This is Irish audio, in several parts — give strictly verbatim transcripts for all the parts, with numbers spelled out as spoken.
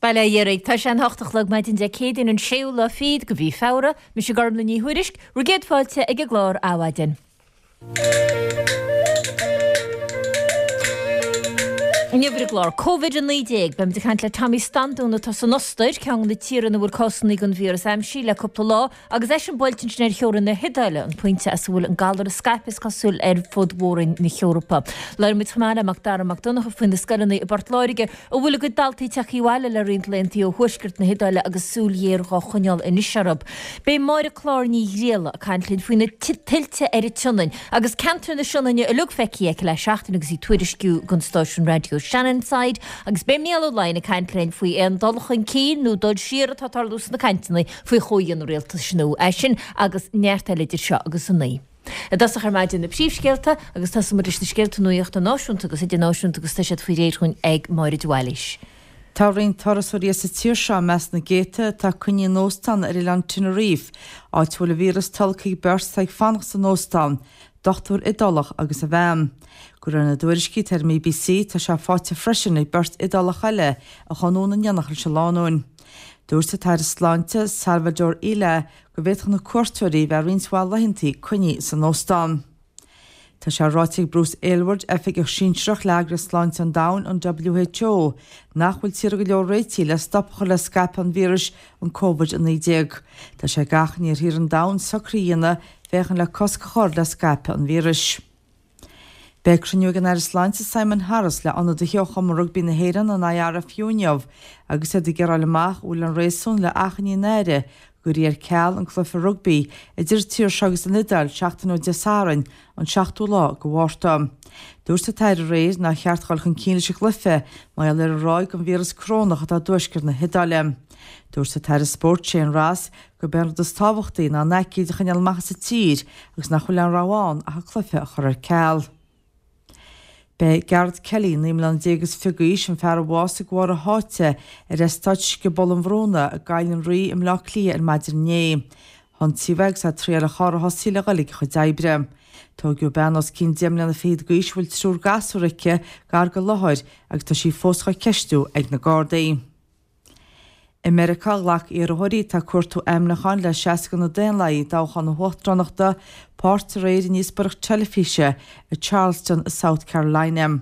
Bail ó Dhia oraibh. Tá sé an hocht a chlog maidin Dé Céadaoin an séú lá fichead de mhí Feabhra, mise Gormlaith Ní Thuairisg, bhur gcéad fáilte ag an gclár Adhmhaidin. Inniu ar an gclár Covid a naoi déag, beimid ag caint le Tommy Standún atá san Ostair, ceann de na tíortha ina bhfuil cásanna den víreas aimsithe le cúpla lá, agus eisean buailte ansin ar theorainn na hIodáile, an pointe as a bhfuil an galar ag scaipeadh is cosúil ar fud mhór-roinn na hEorpa. Labhróidh muid chomh maith le Macdara Mac Donncha faoi na scoileanna i bPort Láirge a bhfuil a gcuid daltaí tagtha abhaile le roinnt laethanta ó thuaisceart na hIodáile agus súil ghéar dhá choinneáil anois orthu. Beidh Máire Clár Ní Ghrialla ag caint linn faoi na tuilte ar an tSionainn agus ceantar na Sionainne uilig feicthe aici le seachtain agus í ag tuairisciú don stáisiún raidió Shannonside agus beidh Mícheál Ó Laighin ag caint linn faoi aon dul chun cinn nó dul siar atá ag tarlú sna cainteanna faoi chomhdhéanamh rialtais nua. É sin agus neart eile idir seo agus a naoi. I dtosach ar maidin na príomhscéalta agus tosóidh muid leis na scéalta nuachta náisiúnta agus idirnáisiúnta agus tá siad faoi réir dhúinn ag Máire de Bhailís. Tá roinnt turasóirí as an tír seo i measc na gcéadta atá coinnithe in óstán ar oileán Tenerife, áit a bhfuil an víreas tolgtha ag beirt atá ag fanacht san óstán, dochtúir Iodálach agus a bhean. De réir na dtuairiscí atá ar an BBC, tá sé faighte freisin ag beirt Iodálach eile a chuaigh anonn in éineacht leis an lánúin. Dúirt an tAire Sláinte, Salvador Illa, go bhféadfadh na cuairteoirí bheith roinnt mhaith laethanta coinnithe san óstán. Tá sé ráite ag Bruce Aylward, oifigeach sinsearach le Eagraíocht Sláinte an Domhain, an WHO, nach bhfuil tíortha go leor réitithe le stop a chur le scaipeadh an víris, an Covid a naoi déag. Tá sé ag achainí ar thíortha an domhain socruithe a dhéanamh féachaint le cosc a chur le scaipeadh an víris. Beidh cruinniú ag an Aire Sláinte Simon Harris le ionadaithe ó Chumann Rugbaí na hÉireann, an IRFU inniu agus iad ag iarraidh a fháil amach an bhfuil aon réasún le achainí an Aire go gcuirfí ar ceal an cluiche rugbaí idir an tír seo agus an Iodáil seachtain ó Dé Sathairn, an seachtú lá de Mhárta. Dúirt an tAire aréir nár cheart dul chun cinn leis an gcluiche mar gheall ar an ráig den víreas corónach atá i dtuaisceart na hIodáile. Dúirt an tAire Spóirt Shane Ross gurb é an rud is tábhachtaí ná an aicíd a choinneáil amach as an tír agus nach bhfuil aon rogha ann ach an cluiche a chur ar ceal. Beidh Gareth Kelly, naoi mbliana déag is fiche d'aois, an fear a bhásaigh de bharr a sháite ar eastát Scioból an Bhrúna i gCoill an Rí i mBleá Cliath ar maidin inné. Hionsaíodh é agus é ag triail a charr a thosaí le dhul ag a chuid oibre. Tóigeadh bean os cionn deich mbliana fichead d'aois a bhfuil triúr gasúr aici gar don láthair agus tá sí fós dhá ceistiú ag na Gardaí. I Meiriceá, ghlac iarrthóirí atá ag cuartú ainmniúcháin le seasamh do na Daonlathaigh i dtoghchán na huachtaránachta páirt aréir i ndíospóireacht teilifíse i Charleston i South Carolina.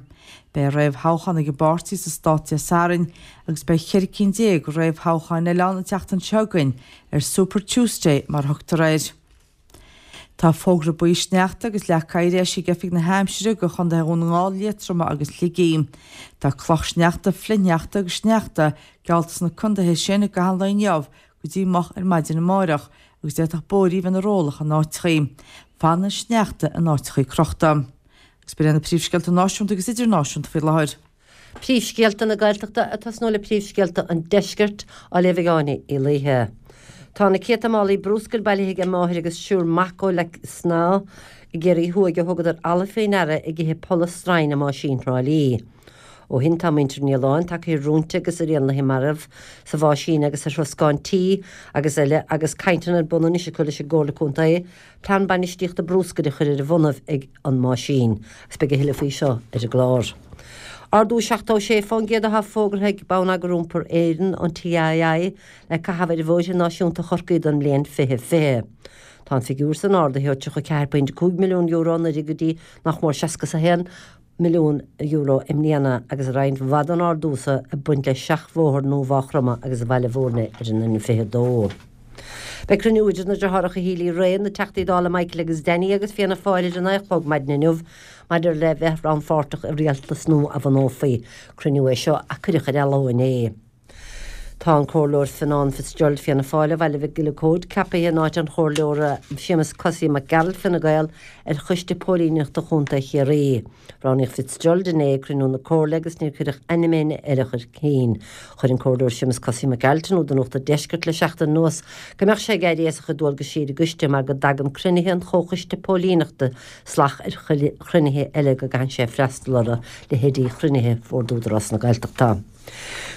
Beidh réamhthoghchán ag an bpáirtí sa stát Dé Sathairn agus beidh ceithre cinn déag réamhthoghcháin eile ann an tseachtain seo chugainn, ar Super Tuesday mar a thugtar air. Tá fógra buí sneachta agus leac oighir eisithe ag Oifig na hAimsire do Chontaetha Dhún na nGall, Liatroma agus Shligigh. Tá cloch sneachta, flichshneachta agus sneachta geallta sna contaetha sin i gcaitheamh an lae inniu go dtí moch ar maidin amárach agus d'fhéadfadh bóithrí bheith ina rollach in áiteachaí. Fanann an sneachta in áiteachaí crochta. Agus b'in iad na príomhscéalta náisiúnta agus idirnáisiúnta faoi láthair. Príomhscéalta na Gaeltachta ag tosnú le príomhscéalta an Deiscirt á léamh ag Áine Uí Laoithe. Tá na céadta málaí brúscair bailithe ag máthair agus triúr mac ó Leic Snámha i gCiarraí Thuaidh a thugadar ala faoi ndeara ag ithe polla stroighne i mbáisín Thrá Lí. Ó shin tá muintir an oileáin tagtha ar rúinte agus ar éanlaithe marbh sa bháisín agus ar throscán tí agus eile agus cainteanna ar bun anois acu leis an gComhairle Contae plean bainistíochta brúscair a chur ar a bhonnaibh ag an mbáisín agus beidh a thuilleadh faoi seo ar an gclár. Ardú seachtó sé fán gcéad atá fógartha ag Bonneagar Iompair Éireann, an TII, le caitheamh ar bhóithre náisiúnta Chorcaí don mbliain fiche fiche. Tá an figiúr san ardaithe ó tríocha ceathair pointe cúig milliún euro anuraidh go dtí nach mór seasca is a haon milliún euro i mbliana agus roinnt mhaith den ardú so ag baint le seachbhóthar nua Mhaigh Chromtha agus Bhaile Bhúirne ar an N fiche a dó. Beidh cruinniú idir na deartháireacha Healy-Rae, na Teachtaí Dála Michael agus Danny agus Fianna Fáil ar a naoi a chlog maidin inniu maidir le bheith rannpháirteach i rialtas nua a bhunófaí. Cruinniú é seo a cuireadh ar athló inné. Tá an Comhairleoir Fionán Fitzgerald Fianna Fáil ó Bhaile Mhic Giolla Cóid ceaptha in áit an Chomhairleora Séamus Cosaí Mac Gearailt Fine Gael ar Choiste Póilíneachta Chontae Chiarraí. Roghnaíodh Fitzgerald inné ag cruinniú na Comhairle agus níor cuireadh ainm éinne eile chun cinn. Chuir an Comhairleoir Séamus Cosaí Mac Gearailt in iúl do Nuacht an Deiscirt le seachtain anuas go mbeadh sé ag éirí as a chuid dualgaisí ar an gcoiste mar go dtagann cruinnithe an Chomhchoiste Póilíneachta salach ar chruinnithe eile go gcaitheann sé freastal orthu, leithéidí chruinnithe Bhord Údarás na Gaeltachta.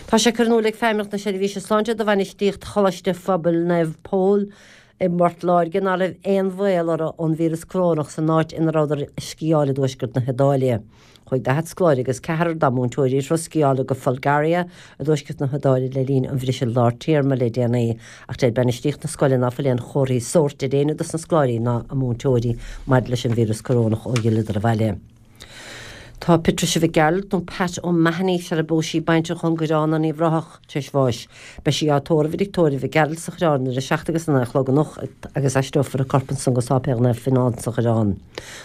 Tá sé curtha in iúl ag Feidhmeannacht na Seirbhíse Sláinte do bhainistíocht Choláiste Phobail Naomh Pól i bPort Láirge ná raibh aon bhaol orthu ón víreas corónach san áit ina rabhadar ag sciáil i dtuaisceart na hIodáile. Chuaigh daichead scoláire agus ceathrar dá múinteoirí ar thuras sciála go Folgaria i dtuaisceart na hIodáile le linn an bhriseadh lár téarma le déanaí, ach deir bainistíocht na scoile ná fuil aon chomharthaí sóirt ar éinne dos na scoláirí ná a múinteoirí maidir leis an víreas corónach ó dh'fhilleadar abhaile. Tá Patricia Mhic Gearailt nó Pat O'Mahony sar a bpós sí baintreach ón gCoireán in Uíbh Ráthach tar éis bháis. Beidh sí á tórramh i dtigh tórraimh Mhic Gearailt sa Choireán ar a seacht agus a naoi a chlog anocht agus aistreofar a corp ansan go Sáipéal Naomh Fionán sa Choireán.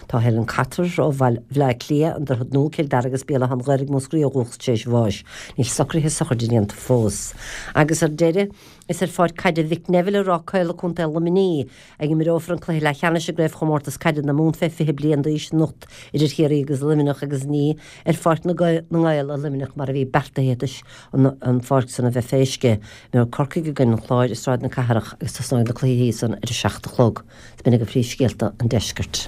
Tá Helen Cotter ó Bhaile Átha Cliath, an Droichead Nua, Cill Dara agus Béal Átha an Ghaorthaidh, Múscraí ó dhúchas tar éis bháis. Níl socruithe sochraide déanta fós. Agus ar deireadh, Is ar pháirc caide Mhick Neville i Ráth Caola, Contae Luimnigh, a imreofar an cluiche leathcheannais i gCraobhchomórtas Caide na Mumhan fé fiche bliain d'aois anocht idir Chiarraí agus Luimneach agus ní ar Pháirc na nGael i Luimneach mar a bhí beartaithe toisc an pháirc san a bheith fé uisce. Imreoidh Corcaigh i gcoinne an Chláir i Sráid na Cathrach agus tosnóidh na cluichí san ar a seacht a chlog. B'in agaibh príomhscéalta an deiscirt.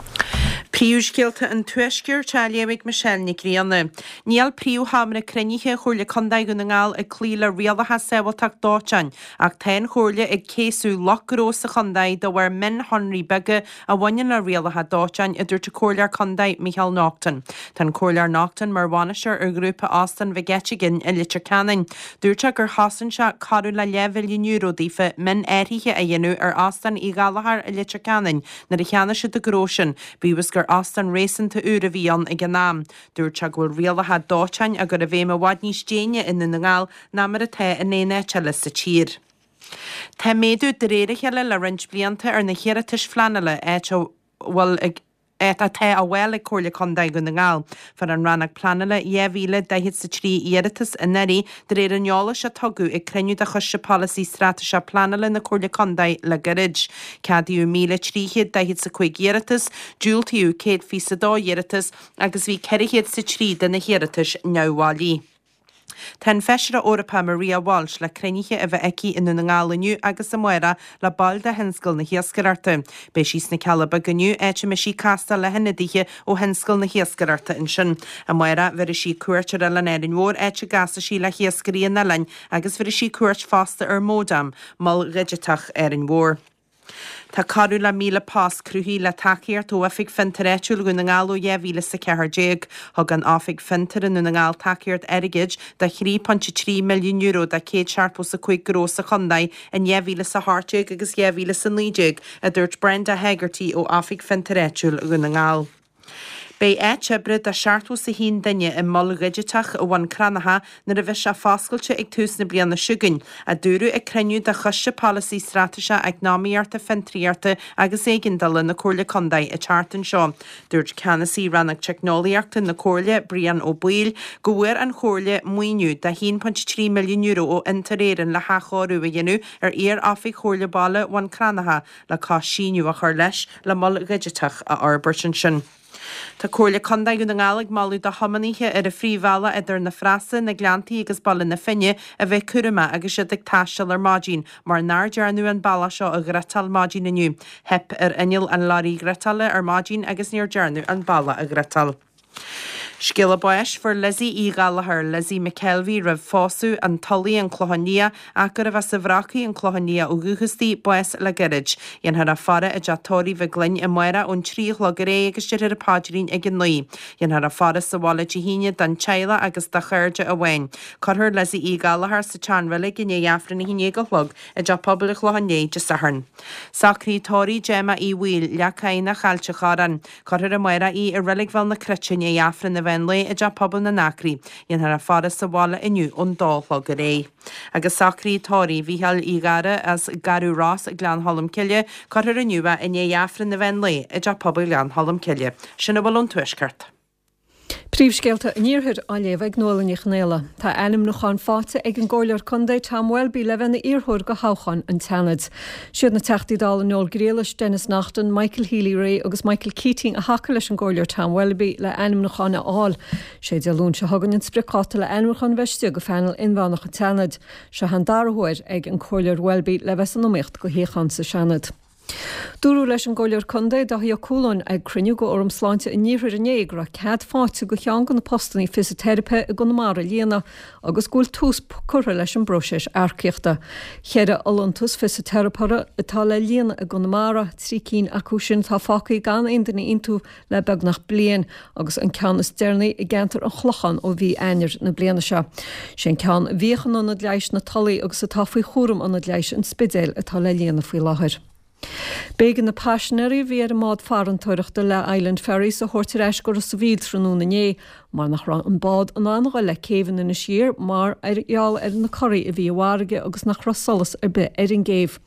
Príomhscéalta an Tuaiscirt á léamh ag Michelle Nic Grianna. Níl príomhsheomra cruinnithe Chomhairle Contae Dhún na nGall ag cloí le rialacha sábháilteacht dóiteáin ach tá an Chomhairle ag céasadh lucht gnó sa chontae de bharr mionshonraí beaga a bhaineann le rialacha dóiteáin, a dúirt an Comhairleoir Contae Micheál Naughton. Tá an Comhairleoir Naughton mar bhainisteoir ar ghrúpa Óstán Mhic Eiteagáin i Leitir Ceanainn. Dúirt sé gur chosain sé corradh le leathmhilliún euro daofa mionathruithe a dhéanamh ar Óstán Uí Ghallchóir i Leitir Ceanainn nuair a cheannaigh siad an gnó sin, bíodh is gur óstán réasúnta úr a bhí ann ag an am. Dúirt sé go bhfuil rialacha dóiteáin á gcur i bhfeidhm i bhfad níos déine i nDún na nGall ná mar atá in aon áit eile sa tír. Tá méadú de réir a chéile le roinnt blianta ar na hiarratais phleanála áit a bhfuil ag atá á bhfáil ag Comhairle Contae Dhún na nGall. Fuair an Rannóg Pleanála dhá mhíle daichead 's a trí iarratas anuraidh de réir an eolais a tugadh ag cruinniú de Choiste Polasaí Straitéiseach Pleanála na Comhairle Contae le gairid. Ceadaíodh míle trí chéad daichead 's a cúig iarratas, diúltaíodh céad fiche 's a dó iarratas agus bhí ceithre chéad 's a trí de na hiarratais neamhbhailí. Tá an Feisire Eorpach Maria Walsh le cruinnithe a bheith aici i nDún na nGall inniu agus amárach le baill de thionscal na hiascaireachta. Beidh sí sna Cealla Beaga inniu, áit a mbeidh sí ag castáil le hionadaithe ó thionscal na hiascaireachta ansin. Amárach, bhéarfaidh sí cuairt ar Oileán Árainn Mhór, áit a gcasfaidh sí le hiascairí an oileáin agus bhéarfaidh sí cuairt fosta ar Modam, mol dhigiteach Árainn Mhór. Tá corradh le míle post cruthaithe le tacaíocht ó Oifig Fiontair Áitiúil Dhún na nGall ó dhá mhíle is a ceathair déag. Thug an Oifig Fiontair i nDún na nGall tacaíocht airgid de thrí pointe trí milliún euro do céad seachtó is a cúig gnó sa chontae in dhá mhíle is a hocht déag agus dhá mhíle is a naoi déag, a dúirt Brenda Hegarty ó Oifig Fiontair Áitiúil Dhún na nGall. Beidh áit oibre do seachtó is a haon duine i Mol Dhigiteach Bhun Cranncha nuair a bheidh sé foscailte ag tús na bliana seo chugainn, a dúradh ag cruinniú de Choiste Polasaí Straitéiseach Eacnamaíochta, Fiontraíochta agus Éigeandála na Comhairle Contae an tseachtain seo. Dúirt Ceannasaí Rannóg Teicneolaíochta na Comhairle, Brian Ó Baoill, go bhfuair an Chomhairle maoiniú de haon pointe trí milliún euro ó Fhiontar Éireann le hathchóiriú a dhéanamh ar iar-oifig Chomhairle Baile Bhun Cranncha le cois síneadh a chur leis le mol dhigiteach a fhorbairt ansin. Tá Comhairle Contae Dhún na nGall ag moladh do thiománaithe ar an phríomhbhealach idir na Frasa, na Gleanntaí agus Baile na Finne a bheith cúramach agus iad ag taisteal ar maidin mar nár dearnadh an bealach seo a ghriotáil maidin inniu. Theip ar inneall an leoraí ghriotála ar maidin agus níor dearnadh an bealach a ghriotáil. Scéala báis, Fuair Lizzie Uí Ghallchóir, Lizzie McKelvey, roimh phósadh, An Tulaigh, An Clochán Liath, ach gurbh as an Bhrocaigh, An Clochán Liath ó dhúchas di, bás le gairid. Dhéanfar a faire i dteach tórraimh Mhic Gloinn amárach ón trí a chlog ar aghaidh agus déarfar an paidrín ag a naoi. Dhéanfar a faire sa bhaile Dé hAoine don teaghlach agus do chairde amháin. Cuirfear Lizzie Uí Ghallchóir sa tseanreilig i ndiaidh Aifreann a haon déag a chlog i dTeach Pobail an Chlocháin Léith Dé Sathairn. Socruithe tórraimh Gemma Uí Bhaoill, Leac Cadhnach, Ailt an Chorráin. Cuirfear amárach í i Reilig Bhéal na Cruite i ndiaidh Aifreann an mheán lae i dTeach Pobail na nAcraí. Dhéanfar a faire sa bhaile inniu ón dó a chlog ar aghaidh. Agus socruithe tórraimh Mhícheáil Uí Ghadhra as Garradh Ros, Gleann Cholm Cille, cuirfear inniu é i ndiaidh Aifreann an mheán lae i dTeach Pobail Ghleann Cholm Cille. Sin a bhfuil ón Tuaisceart. Príomhscéalta an Iarthair á léamh ag Nuala Ní Chonghaile. Tá ainmniúchán faighte ag an gComhairleoir Contae Tom Welby le bheith ina iarrthóir do thoghchán an tSeanaid. Siad na Teachtaí Dála Noel Grealish, Denis Naughten, Michael Healy-Rae agus Michael Keating a thacaigh leis an gComhairleoir Tom Welby le ainmniúchán a fháil. Sé Dé Luain seo chugainn an spriocdháta le ainmniúchán a bheith istigh go phainéal inmheánach an tSeanaid. Seo an dara huair ag an Comhairleoir Welby le bheith san iomaíocht do shuíochán sa Seanad. Dúradh leis an gComhairleoir Contae Dáithí Ó Cualáin ag cruinniú de Fhóram Sláinte an Iarthair inné go raibh cead faighte do cheann de na postanna fisiteiripe i gConamara a líonadh agus go bhfuil tús curtha leis an bpróiseas earcaíochta. Ceithre fholúntas fisiteiripeora atá le líonadh i gConamara, trí cinn acu sin atá fágtha gan aon duine iontu le beagnach bliain agus an ceann is deireanaí i gceantar an Chlocháin ó mhí Eanáir na bliana seo. Sé an ceann a bhíodh in Ionad Leighis na Tulaí agus atá faoi chúram Ionad Leighis an Spidéil atá le líonadh faoi láthair. B'éigean na paisinéirí a bhí ar an mbád farantóireachta le Island Ferries a thabhairt ar ais go Ros a' Mhíl tráthnóna inné mar nach raibh an bád in ann a dhul le céibh in Inis Oírr mar gheall ar na corraí a bhí i bhfarraige agus nach raibh solas ar bith ar an gcéibh.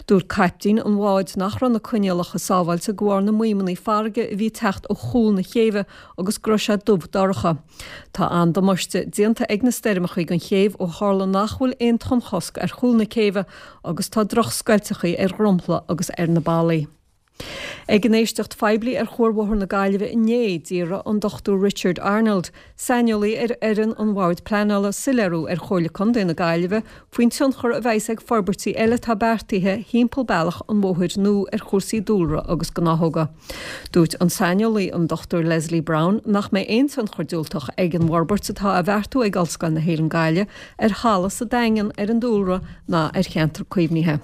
Dúirt caiptín an bháid nach raibh na coinníollacha sábháilte de bharr na maidhmeanna farraige a bhí ag teacht ó chúl na céibhe agus go raibh sé dubh dorcha. Tá an-damáiste déanta ag na stoirmeacha don chéibh ó tharla nach bhfuil aon tonnchosc ar chúl na céibhe agus tá drochscoilteacha ar dhromchla agus ar na ballaí. Ag an éisteacht phoiblí ar Chuarbhóthar na Gaillimhe inné, d'iarr an Dochtúir Richard Arnold, saineolaí ar fhoireann an Bhoird Pleanála, soiléiriú ar Chomhairle Contae na Gaillimhe faoin tionchar a bheas ag forbairtí eile atá beartaithe thimpeall bealach an bhóthair nua ar chúrsaí dúlra agus gnáthóga. Dúirt an saineolaí, an Dochtúir Leslie Browne, nach mbeidh aon tionchar diúltach ag an bhforbairt atá á bheartú ag Ollscoil na hÉireann Gaillimh ar thalamh sa Daingean, ar an dúlra ná ar cheantar caomhnaithe.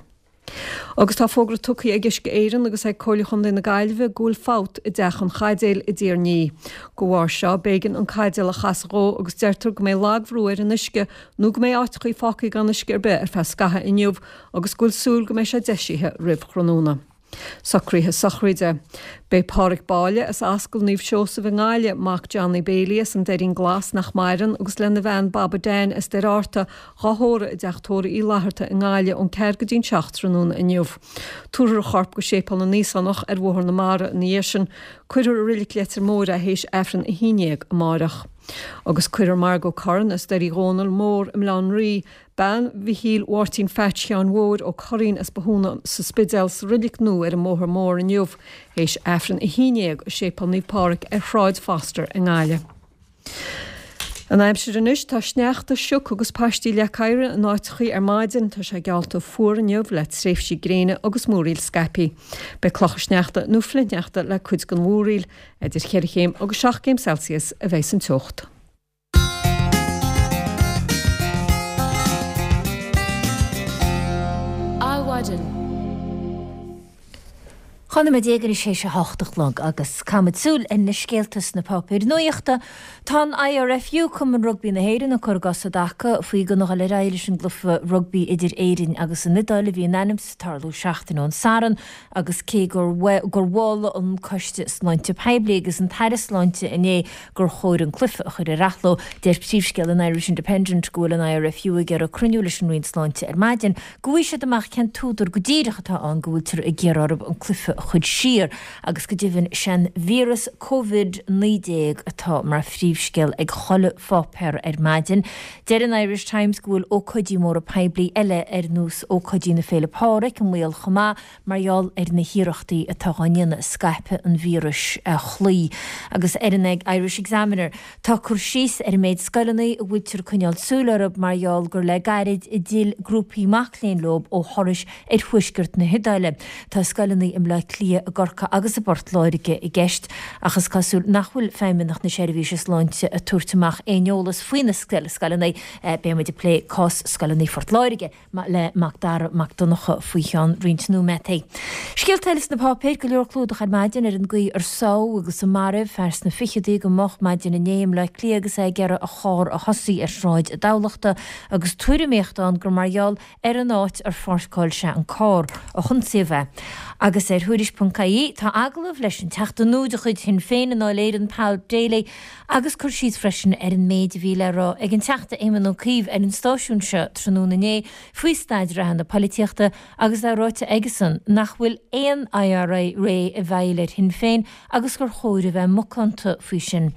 Agus tá fógra tugtha ag Uisce Éireann agus ag Comhairle Chontae na Gaillimhe go bhfuil fabht i dTeach an Chaidéil i dTír an Fhia. De bharr seo, b'éigean an caidéal a chasadh dhó agus deirtear go mbeidh lagbhrú ar an uisce nó go mbeidh áiteachaí fágtha gan uisce ar bith ar feadh scaithimh inniu agus go bhfuil súil go mbeidh sé deisithe roimh thráthnóna. Socruithe sochraide. Beidh Páraic Báille as Ascaill Naomh Seosamh i nGaillimh, mac Johnny Bailey as an Doirín Glas nach maireann agus lena bhean Baba Dan as Doire Fhearta, dhá thórramh i dTeach Tórraimh Uí Fhlatharta i nGaillimh ón ceathair go dtí'n seacht tráthnóna inniu. Tabharfar a chorp go Séipéal na nÍosánach ar Bhóthar na Mara ina dhiaidh sin. Cuirfear i Reilig Leitir Móir é théis Aifreann a haon déag amáireach. Agus cuirfear Margot Curran as Doire Dhónaill Mór i mBaile Átha an Rí, Bean Mhichíl Mháirtín Pheait Sheáin Mhóir Ó Curraoin as Bothúna sa Spidéal sa reilig nua ar an mBóthar Mór inniu théis Aifreann a haon déag i Séipéal Naomh Pádraig ar Shráid Foster i nGaillimh. An aimsir anois, tá sneachta, sioc agus paistí leac oighir in áiteachaí ar maidin. Tá sé geallta fuar inniu le tréimhsí gréine agus múraíl scaipthe. Beidh clocha sneachta nó flichshneachta le cuid den mhúraíl. Idir cheithre chéim agus seacht gcéim Celsius a bheidh san teocht. Adhmhaidin. Dhá nóiméad déag anois théis a hocht a chlog agus caithfimid súil ar na scéalta sna páipéir nuachta. Tá an I R F U, Cumann Rugbaí na hÉireann, ag cur a gcos i dtaca faoi gan a dhul ar aghaidh leis an gcluiche rugbaí idir Éirinn agus an Iodáil a bhí in ainm is tarlú seachtain ón Satharn agus cé gur gur mhol an Coiste Sláinte Poiblí agus an tAire Sláinte inné gur chóir an cluiche a chur ar athló, deir príomhscéal an Irish Independent go bhfuil an I R F U ag iarraidh cruinniú leis an Roinn Sláinte ar maidin go bhfaighidh siad amach cén t-údar go díreach atá ann go bhfuiltear ag iarraidh orthu an cluiche a chur siar agus go deimhin sé'n víreas Covid naoi déag atá mar phríomhscéal ag chuile pháipéar ar maidin. Deir an Irish Times go bhfuil ócáidí móra poiblí eile ar nós ócáidí na Féile Pádraig i mbaol chomh maith mar gheall ar na hiarrachtaí atá á ndéanamh scaipeadh an víris a chloí. Agus ar an Irish Examiner, tá cur síos ar an méid scoileanna a bhfuiltear ag coinneáil súil orthu mar gheall gur le gairid a d'fhill grúpaí mac léinn leo ó thurais ar thuaisceart na hIodáile. Tá scoileanna i mBleá Cliath, i gCorcaigh agus i bPort Láirge i gceist, ach is cosúil nach bhfuil Feidhmeannacht na Seirbhíse Sláinte ag tabhairt amach aon eolas faoi na scoileanna. Beidh muid ag plé cás scoileanna Phort Láirge le Macdara Mac Donncha faoi cheann roinnt nóiméadaí. Scéalta eile sna páipéir, go leor clúdach ar maidin ar an gcaoi ar sádh agus a maraíodh fear sna fichidí go moch maidin inné i mBleá Cliath agus é ag iarraidh a charr a thosaí ar Shráid Thamhlachta agus tuairimíocht ann gur mar gheall ar an áit ar pháirceáil sé an carr a hionsaíodh é. Agus ar Thuairisc ponc ie tá agallamh leis an Teachta nua de chuid Shinn Féin i nDáil Éireann, Paul Daly, agus cur síos freisin ar an méid a bhí le rá ag an Teachta Éamon Ó Cuív ar an stáisiún seo tráthnóna inné faoi staid reatha na polaitíochta agus é ráite aigesan nach bhfuil aon I R A i bhfeighil ar Shinn Féin agus gur chóir a bheith macánta faoi sin.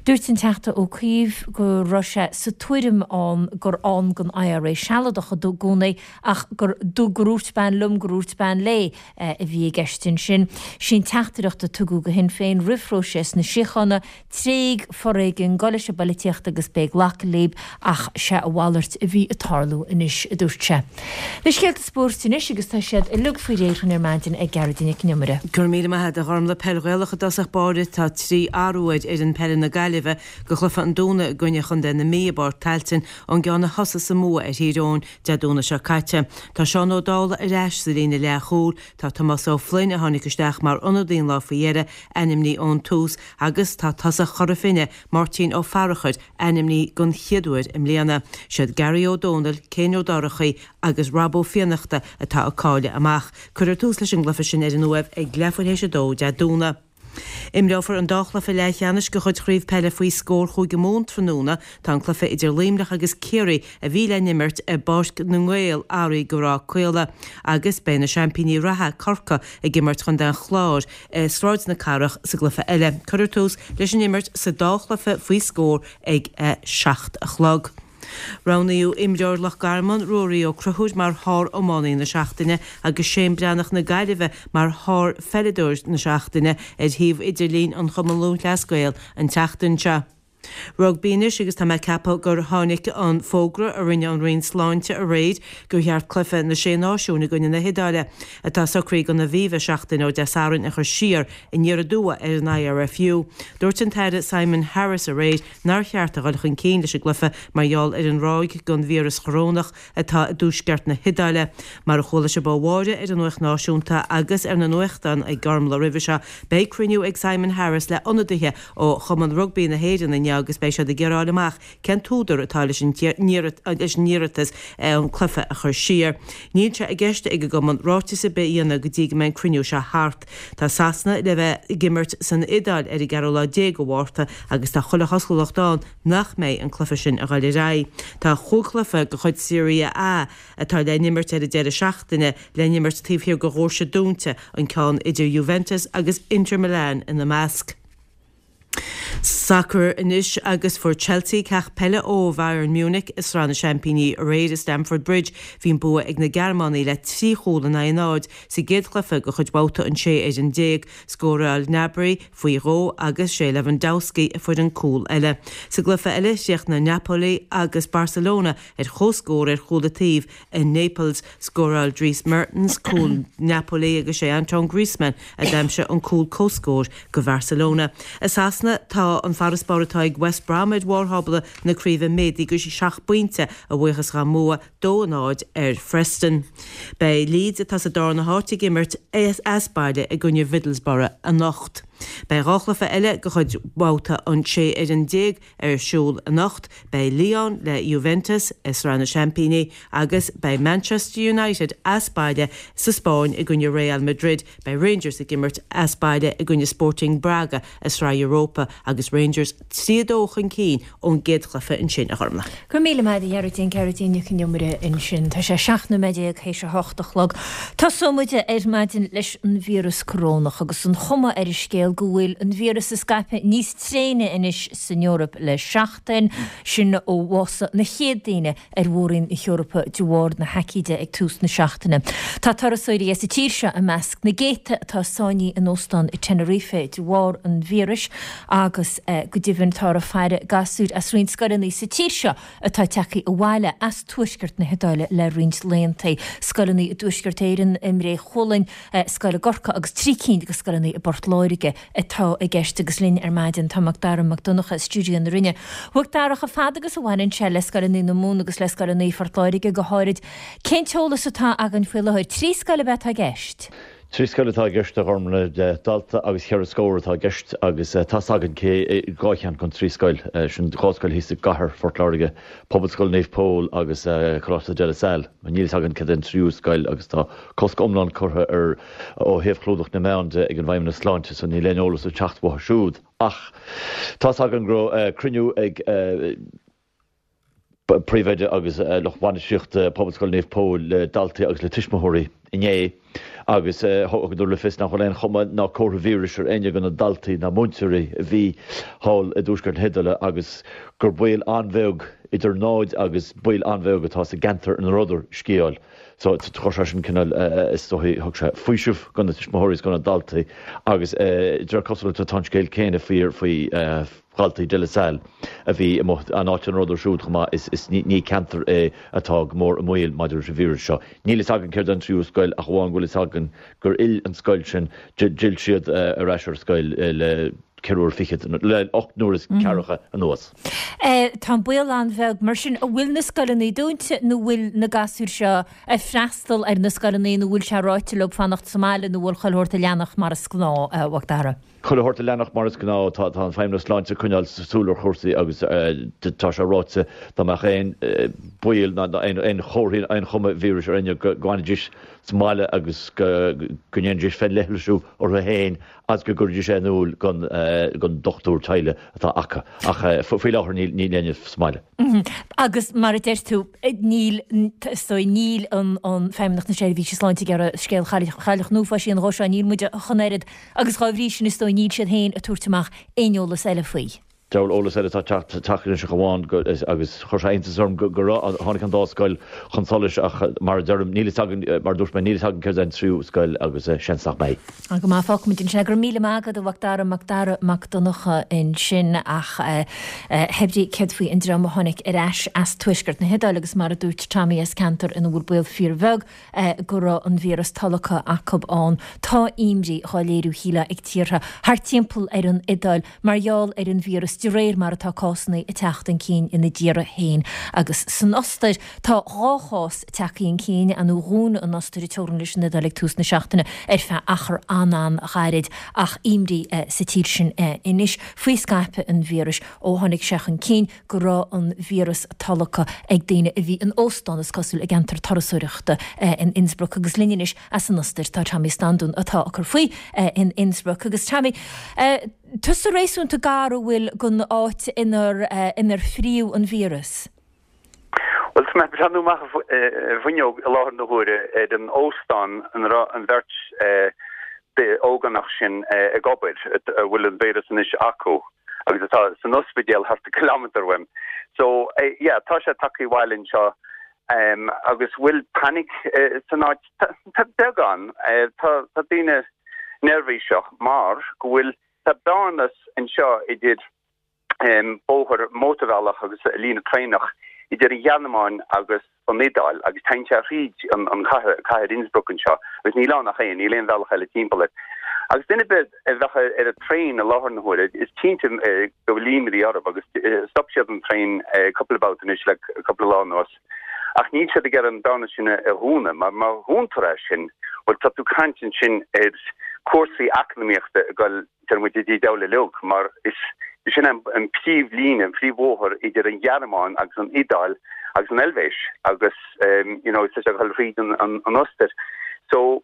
Dúirt an Teachta Ó Cuív go raibh sé sa tuairim ann gur ann don I R A sealadach i gcónaí ach gur gur úirt bean liom gur úirt bean léi a bhí i gceist. ansin. Sí an teachtaireacht a tugadh go Shinn Féin roimh phróiseas na síochána, tréig foréigean, gabh leis an bpolaitíocht agus beidh ag glacadh libh ach sé a mhalairt a bhí ag tarlú anois, a dúirt sé. Na scéalta spóirt anois agus tá siad uilig faoi réir chugainn ar maidin ag Gearóidín Nic an Iomaire. Go raibh míle maith agat a Ghormlaith. Peil Ghaelach i dtosach báire. Tá trí athrú ar fhoireann peile na Gaillimhe go chluiche an Domhnaigh i gcoinne chontae na Mí i bPáirc Tailteann ón gceann a thosaigh sa mbua ar Thír Eoghain Dé Domhnaigh seo caite. Tá Seán Ó Dálaigh ar ais sa líne leathchúil, tá Tomás Ó Floinn, a tháinig isteach mar ionadaí an lá faoi dheireadh, ainmnithe ón tús agus tá tosach Chora Finne, Máirtín Ó Fearachair, ainmnithe don chéad uair i mbliana. Siad Gary Ó Dónaill, Céin Ó Dorchaí agus Rob Ó Fiannachta atá ag cailleadh amach. Cuirfear tús leis an gcluiche sin ar an Uaimh ag leathuair théis a dó Dé Domhnaigh. Imreofar an dá chluiche leathcheannais de chuid Chraobh Peile faoi scór Chúige Mumhan tráthnóna. Tá an cluiche idir Luimneach agus Ciarraí a bhí le n-imirt i bPáirc na nGael athraithe go Ráth Caola agus beidh na seaimpíní reatha, Corcaigh, ag imirt Chontae an Chláir i Sráid na Cathrach sa gcluiche eile. Cuirfear tús leis an imirt sa dá chluiche faoi scór ag a seacht a chlog. Roghnaíodh imreoir Loch Garman, Ruairí Ó Conchúir mar shár-iománaí na seachtaine agus Shane Breathnach na Gaillimhe mar shár-pheileadóir na seachtaine ar shuíomh idirlín an Chumann Lúthchleas Gael an tseachtain seo. Rugbaí anois agus tá mé ag ceapadh gur tháinig an fógra a rinne an Roinn Sláinte aréir gur cheart cluiche na Sé Náisiún i gcoinne na hIodáile, atá socraithe don Aviva seachtain ó Dé Sathairn, a chur siar aniar aduaidh ar an IRFU. Dúirt an tAire Simon Harris aréir nár cheart a dhul chun cinn leis an gcluiche mar gheall ar an ráig den víreas chorónach atá i dtuaisceart na hIodáile. Mar a chuala sibh ó Mháire ar an Nuacht Náisiúnta agus ar na nuachtáin ag Gormlaith roimhe seo, beidh cruinniú ag Simon Harris le ionadaithe ó Chumann Rugbaí na hÉireann inniu agus beidh siad ag iarraidh a fháil amach cén t-údar atá leis an iarratas an cluiche a chur siar. Níl sé i gceist ag an gcumann ráiteas ar bith a dhéanamh go dtí go mbeidh an cruinniú seo thart. Tá Sasana le bheith ag imirt san Iodáil ar an gceathrú lá déag de Mhárta agus tá chuile chosúlacht ann nach mbeidh an cluiche sin a dhul ar aghaidh. Tá chúig chluiche de chuid Serie A atá le n-imirt ar an deireadh seachtaine le n-imirt taobh thiar de dhoirse dúnta, an ceann idir Juventus agus Inter Milan ina measc. Sacar anois agus fuair Chelsea ceacht peile ó Bhayern Munich i Sraith na Seaimpíní aréir i Stamford Bridge. Bhí an bua ag na Gearmánaigh le trí chúl in aghaidh a náid sa gcéad chluiche de chuid bhabhta an sé fhoireann déag. Scóráil Gnabry faoi dhó agus sé Lewandowski a fuair an cúl eile. Sa gcluiche eile, chríochnaigh Napoli agus Barcelona ar comhscór ar chúl an taobh i Naples. Scóráil Dries Mertens cúl Napoli agus sé Antoine Griezmann a d'aimsigh an cúl comhscóir go Bharcelona. I Sasana, tá an farasbarr atá ag West Brom ar bharr thábla na craoibhe méadaithe go seacht bpointe a bhuíochas dá mbua dó a náid ar Phreston. Beidh Leeds, atá sa darna háit, ag imirt as baile i gcoinne Mhiddlesbrough anocht. Beidh dhá chluiche eile de chuid bhabhta an sé fhoireann déag ar siúl anocht, beidh Lyon le Juventus i Sraith na Seaimpíní agus beidh Manchester United as baile sa Spáinn i gcoinne Real Madrid. Beidh Rangers ag imirt as baile i gcoinne Sporting Braga i Sraith Europa agus Rangers trí a dó chun cinn ón gcéad chluiche ansin, a Ghormlaith. Go raibh míle maith agat a Ghearóidín, Gearóidín Nic an Iomaire ansin. Tá sé seacht nóiméad déag théis a hocht a chlog. Tosóidh muid ar maidin leis an víreas corónach agus an chuma ar an scéal go bhfuil an víreas ag scaipeadh níos tréine anois san Eoraip le seachtain, sin ó bhásaigh na chéad daoine ar mhór-roinn na hEorpa de bharr na haicíde ag tús na seachtaine. Tá turasóirí as an tír seo i measc na gcéadta atá sáinnithe in óstán i Tenerife de bharr an víris agus go deimhin táthar ag faire gasúir as roinnt scoileanna sa tír seo atá tagtha abhaile as tuaisceart na hIodáile le roinnt laethanta. Scoileanna i dTuaisceart Éireann, i mBré Chualainn, scoil i gCorcaigh agus trí cinn de scoileanna i bPort Láirge atá i gceist agus linn ar maidin tá Mac Dara Mac Donncha i stiúideo na Rinne. A Mhac Dara, chomh fada agus a bhaineann sé le scoileanna na Mumhan agus le scoileanna Phort Láirge go háirid, cén t-eolas atá againn faoi láthair? Trí scoil ab ea atá i gceist? Trí scoil atá i gceist, a Ghormlaith, dalta agus cheithre scór atá i gceist agus tá's againn cé dhá cheann den trí scoil, sin dhá scoil thíos i gcathair Phort Láirge, Pobalscoil Naomh Pól agus Coláiste De La Salle. Níl fhios againn céard é an tríú scoil agus tá cosc iomlán curtha ar ó thaobh chlúdach na meán de ag an bhFeidhmeannas Sláinte so níl aon eolas ag teacht uathu siúd. Ach tá's againn go raibh cruinniú ag. Príomhoide agus lucht bainistíochta Pobalscoil Naomh Pól le daltaí agus le tuismitheoirí inné agus thugadar le fios nach bhfuil aon chuma ná comhartha víris ar éinne de na daltaí ná múinteoirí a bhí thall i dtuaisceart na hIodáile agus gur baol an-bheag idir náid agus baol an-bheag atá sa gceantar ina rabhadar ag sciáil. So chuir sé sin cineál is dóigh thug sé faoiseamh do na tuismitheoirí is do na daltaí agus de réir cosúlachta tá an scéal céanna fíor faoi dhaltaí De La Salle a bhí amuigh an áit ina rabhadar siúd chomh maith is ní ceantar é atá go mór i mbaol maidir leis an víreas seo. Níl fhios againn céard é an tríú scoil ach amháin go bhfuil fhios againn gur fhill an scoil sin, d'fhill siad ar ais ar scoil le ceithre uair fichead, le ocht n-uair is ceathracha anuas. Tá an baol an-bheag mar sin. An bhfuil na scoileanna dúnta nó bhfuil na gasúir seo ag freastal ar na scoileanna nó bhfuil sé ráite leo fanacht sa mbaile nó bhfuil chuile shórt ag leanacht mar is gnáth, a Mhac Dara? Chuile shórt ag leanacht mar is gnáth. Tá an Feidhmeannas Sláinte ag coinneáil súil ar chúrsaí agus tá sé ráite dá mbeadh aon baol ná aon chomharthaí aon chuma víris ar éinne go bhfanfaidís sa mbaile agus go ndéanfaidís féinleithlisiú orthu féin agus go gcuirfidís é in iúl don dochtúir teaghlaigh atá acu. Ach faoi láthair níl éinne sa mbaile. Agus mar a deir tú, níl, is dóigh, níl an Feidhmeannacht na Seirbhíse Sláinte ag iarraidh scéal Chailleach na hUafáis a dhéanamh dhó seo, níl muid ach an oiread agus dhá bhrí sin is dóigh níl siad féin ag tabhairt amach aon eolas eile faoi. Diabhal eolas eile atá ag teacht anois ach amháin go, agus chuir sé iontas orm go raibh, tháinig an dá scoil chun solais ach mar a deirim, níl fhios againn, mar a dúirt mé, níl fhios againn céard é an tríú scoil agus seans nach mbeidh. Go maith, fágfaimid ansin é. Go raibh míle maith agat, a Mhac Dara, Mac Dara Mac Donncha ansin ach hé brí céard faoi an dream a tháinig ar ais as tuaisceart na hIodáile agus mar a dúirt Tommy as ceantar ina bhfuil baol fíorbheag go raibh an víreas tolgtha acu ann. Tá imní dhá léiriú shílfeá ag tíortha thart timpeall ar an Iodáil mar gheall ar an víreas de réir mar atá cásanna ag teacht chun cinn ina dtíortha féin. Agus san Ostair, tá dhá chás tagtha chun cinn, ar ndóigh dhún an Ostair a teorainn leis an Iodáil ag tús na seachtaine ar feadh achar an-an-ghairid ach imní sa tír sin anois faoi scaipeadh an víris ó tháinig sé chun cinn go raibh an víreas tolgtha ag daoine a bhí in óstán, is cosúil, i gceantar turasóireachta in Innsbruck. Agus linn anois as an Ostair tá Tommy Standún atá ag cur faoi in Innsbruck. Agus Tommy, Tusa réasúnta gar an bhfuil don áit inar inar fríodh an víreas? Bhuel, tá mé ag breathnú amach an bhfuinneog i láthair na huaire ar an óstán ina raibh an bheirt ógánach sin ag obair, a bhfuil an víreas anois acu agus atá san ospidéal thart ar kilometre uaim. So, yeah, tá sé tagtha abhaile anseo agus bhfuil panic san áit? Tá beagán. Tá daoine neirbhíseach mar go bhfuil Tá bearnas anseo idir bóthar mótarbhealach agus líne traenach idir an Ghearmáin agus an Iodáil agus téann sé thríd an chathair, cathair Innsbruck anseo agus níl ann ach é, níl aon bhealach eile timpeall air. Agus duine ar bith a bheadh ar an traein i láthair na huaire, is cinnte go bhfuil imní orthu agus stop siad an traein cúpla babhta anois le cúpla lá anuas. Ach níl siad ag iarraidh an bearna sin a dhúnadh, mar má dhúntar é sin, bhuel, tá tú ag caint ansin ar chúrsaí eacnamaíochta ag dul, deir muid, dtí deabhal uilig, mar is sin é an príomhlíne, an príomhbhóthar idir an Ghearmáin agus an Iodáil agus an Eilvéis agus, you know, tá sé ag dul thríd an Ostair. So,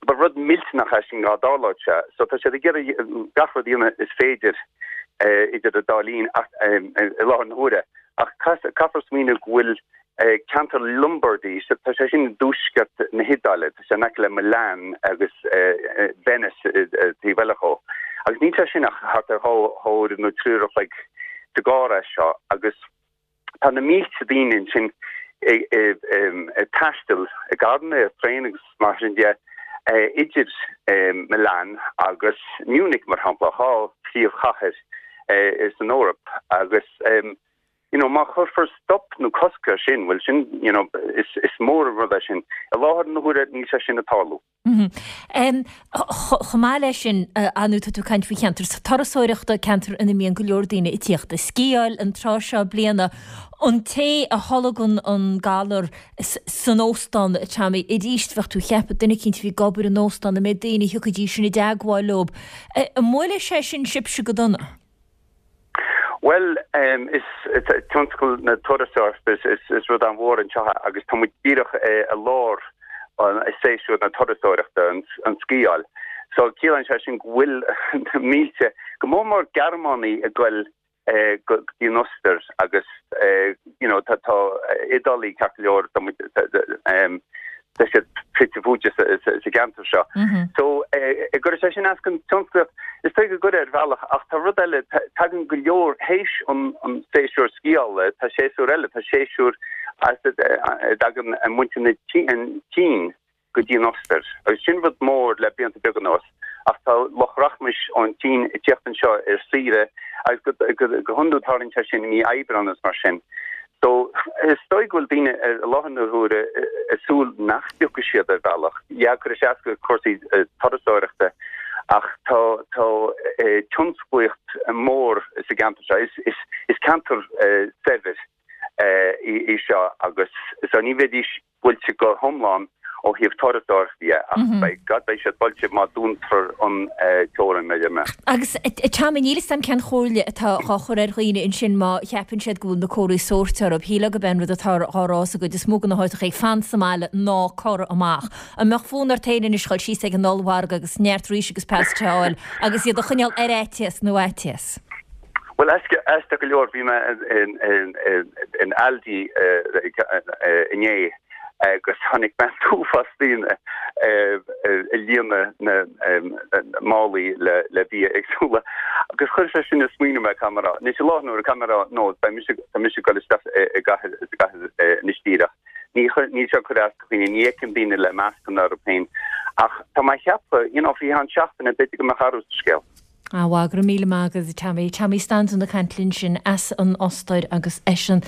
Ba rud millteanach é sin dá dtarlódh sé. So tá siad ag iarraidh gach rud a dhéanamh is féidir idir an dá linn i láthair na huaire. Ach caithfear smaoineamh go bhfuil ceantar Lombardy, tá sé sin i dtuaisceart na hIodáile, tá sé in aice le Milan agus Venice taobh eile dhó. Agus níl sé sin ach thart ar dhá uair nó trí uair a chloig sa gcarr é seo agus Tá na mílte daoine ansin ag taisteal i gcarranna, ar traein agus mar sin de idir Milan agus Munich, mar shampla, dhá phríomhchathair san Eoraip agus you know má chuirfear stop nó cosc air sin, bhuel sin you know is mór an rud é sin. I láthair na huaire níl sé sin ag tarlú. Chomh maith leis sin, ar ndóigh tá tú ag caint faoi cheantar turasóireachta, ceantar ina mbíonn go leor daoine ag tíocht ag sciáil an tráth seo bliana. An té a tholgann an galar san óstán, a Tommy, arís bheadh tú ag ceapadh duine eicínt a bhí ag obair in óstán, an méid daoine a thiocfaidís sin i dteagmháil leo. An mbuailfidh sé sin sibhse go dona? Bhuel, is tionscal na turasóireachta is rud an-mhór anseo agus tá muid díreach i lár séasúr na turasóireachta, an sciáil. So ciallaíonn sé sin go bhfuil na mílte, go mór mór Gearmánaigh ag goil go dtí an Ostair agus you know tá tá Iodálaigh ceart go leor tá muid tá siad fite fuaite sa gceantar seo. So an gcuirfidh sé sin as don tionsclaíocht is dóigh go gcuirfidh ar bhealach ach tá rud eile tagann go leor théis an an séasúr sciála tá séasúr eile tá séasúr as a dtagann muintir na Síne go dtí an Ostair. Agus sin rud mór le blianta beaga anuas ach tá lucht rachmais ón tSín ag teacht anseo ar saoire agus go hiondúil tarlaíonn sé sin i mí Aibreán agus mar sin. So is dóigh go bhfuil daoine i láthair na huaire ag súil nach dtiocfaidh siad ar bhealach. Yeah, cuirfidh sé as do chúrsaí turasóireachta ach tá tá tionsclaíocht mór sa gceantar seo. Is is is ceantar saibhir í seo agus so ní bheidís buailte go hiomlán ó thaobh turasóireachta de ach beidh gad beidh siad buailte má dúntar an teorainn maidir mé. Agus Tommy níl 'fhios a'm cén chomhairle atá dhá chur ar dhaoine ansin má cheapann siad go bhfuil na comharthaí sóirt orthu. Shílfeá gurb é an rud atá dhá rá sa gcuid is mó de na háiteacha fan sa mbaile ná corr amach. An mbeadh fonn ort féin anois dhul síos ag an ollmhargadh agus neart rís agus pasta a fháil agus iad a choinneáil ar fhaitíos nó fhaitíos? Bhuel aisteach go leor bhí mé in Aldi inné agus chonaic mé an t-uafás daoine ag líonadh na málaí le bia éagsúla. Agus chuir sé sin ag smaoineamh mé camera. Anois i láthair na huaire camera nó beidh mise tá mise ag dul isteach i gcathair sa gcathair anois díreach. Ní níl sé ag cur as do dhaoine, ní fheicim daoine le mascanna orthu féin. Ach tá mé ag ceapadh, you know, faoi cheann seachtaine b'fhéidir go mbeadh athrú sa scéal. Ah bhuel, go raibh míle maith agat, Tommy. Tommy Standún ag caint linn sin as an Ostair agus eisean